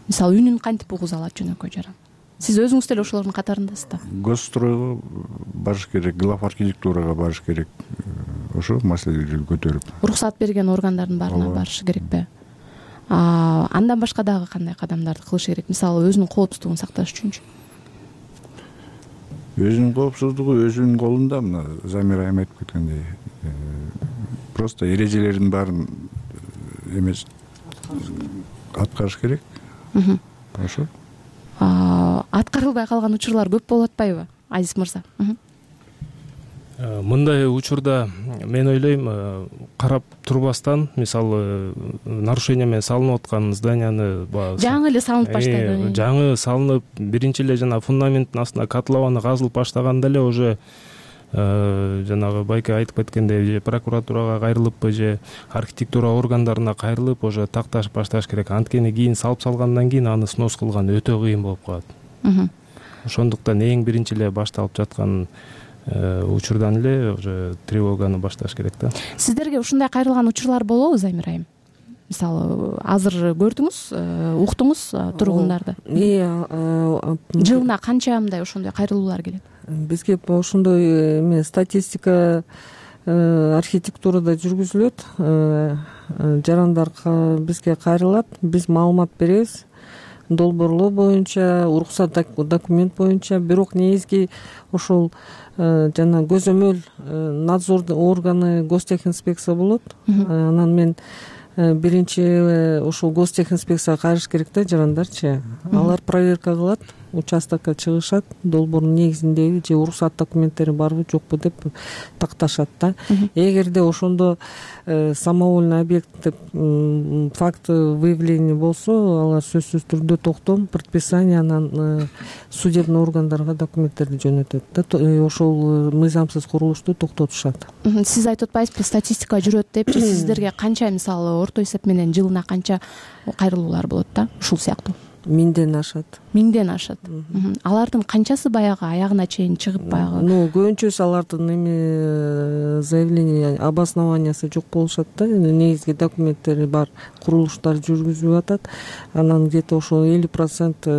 Мисалы үнүн кантип угуза алат жөнөкөй жаран? Сиз өзүңүз деле ошолордун катарындасыз да. Госстройго барыш керек, глав архитектурага барыш керек. Ошо маселелерди көтөрүп. Уруксат берген органдардын баарына барышы керекпи? Андан башка дагы кандай кадамдарды кылыш керек? Мисалы өзүнүн коопсуздугун сакташ үчүнчү? Өзүнүн коопсуздугу өзүнүн колунда. Мына Замир айым айтып кеткендей, просто эрежелердин баарын эмес аткарыш керек. Ошо. Аткарылбай калган учурлар көп болуп атпайбы, Азиз мырза? Мындай учурда мен ойлойм, карап турбастан, мисалы нарушение менен салынып аткан зданияны жаңы эле салынып баштады. Жаңы салынып, биринчи эле жана фундаменттин астына котлованы казылып баштаганда эле уже жанагы байке айтып кеткендей, же прокуратурага кайрылыппы, же архитектура органдарына кайрылып, уже такташ башташ керек. Анткени кийин салып салгандан кийин аны снос кылган өтө кыйын болуп калат. Ошондуктан эң биринчи эле башталып жаткан учурдан эле уже тревоганы башташ керек да. Сиздерге ушундай кайрылган учурлар болобу, Замир айым? Мисалы, азыр көрдүңүз, уктуңуз тургундарды. Жылына канча мындай ошондой кайрылуулар келет? Бизге ошондой эме статистика архитектурада жүргүзүлөт. Жарандар бизге кайрылат, биз маалымат беребиз. Долбоорлоо боюнча, уруксат документ боюнча, бирок негизги ошол жана көзөмөл надзор органы гостехинспекция болот. Анан мен биринчи ушул гостехинспекцияга кайрыш керек да жарандарчы. Алар проверка кылат, участокко чыгышат, долбоордун негизиндеби же уруксат документтери барбы жокпу деп такташат да. Эгерде ошондо самовольный объект деп факт выявления болсо, алар сөзсүз түрдө токтом, предписание анан судебный органдарга документтерди жөнөтөт да. Ошол мыйзамсыз курулушту токтотушат. Сиз айтып атпайсызбы, статистика жүрөт депчи, сиздерге канча мисалы орто эсеп менен жылына канча кайрылуулар болот да ушул сыяктуу? Миңден ашат. Миңден ашат. Алардын канчасы баягы аягына чейин чыгып баягы? Ну, көбүнчөсү алардын эми заявление обоснованиясы жок болушат да. Негизги документтери бар, курулуштар жүргүзүп атат. Анан где-то ошол элүү процент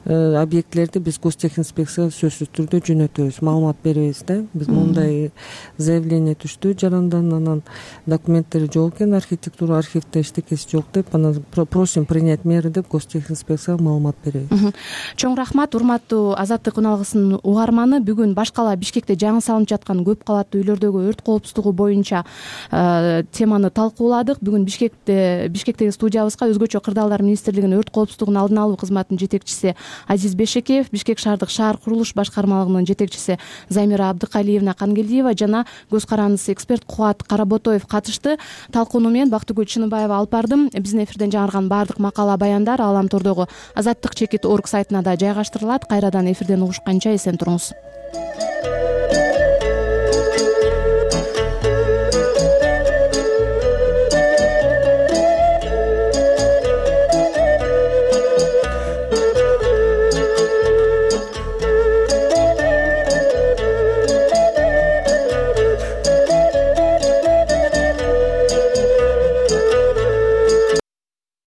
объектилерди биз гостехинспекцияга сөзсүз түрдө жөнөтөбүз, маалымат беребиз да. Биз мындай заявление түштү жарандан, анан документтери жок экен, архитектура архивде эчтекеси жок деп, анан просим принять меры деп гостехинспекцияга маалымат беребиз. Чоң рахмат, урматтуу Азаттык үналгысынын угарманы. Бүгүн баш кала Бишкекте жаңы салынып жаткан көп кабаттуу үйлөрдөгү өрт коопсуздугу боюнча теманы талкууладык. Бүгүн Бишкекте Бишкектеги студиябызга Өзгөчө кырдаалдар министрлигинин өрт коопсуздугун алдын алуу кызматынын жетекчиси Азиз Бешекеев, Бишкек шаардык шаар курулуш башкармалыгынын жетекчиси Замира Абдыкалиевна Кангелдиева жана көз карандысы эксперт Кубат Каработоев катышты. Талкууну мен Бактыгүл Чыныбаева алып бардым. Биздин эфирден жаңырган баардык макала баяндар Ааламтордогу азаттык чекит орг сайтына да жайгаштырылат. Кайрадан эфирден угушканча эсен туруңуз.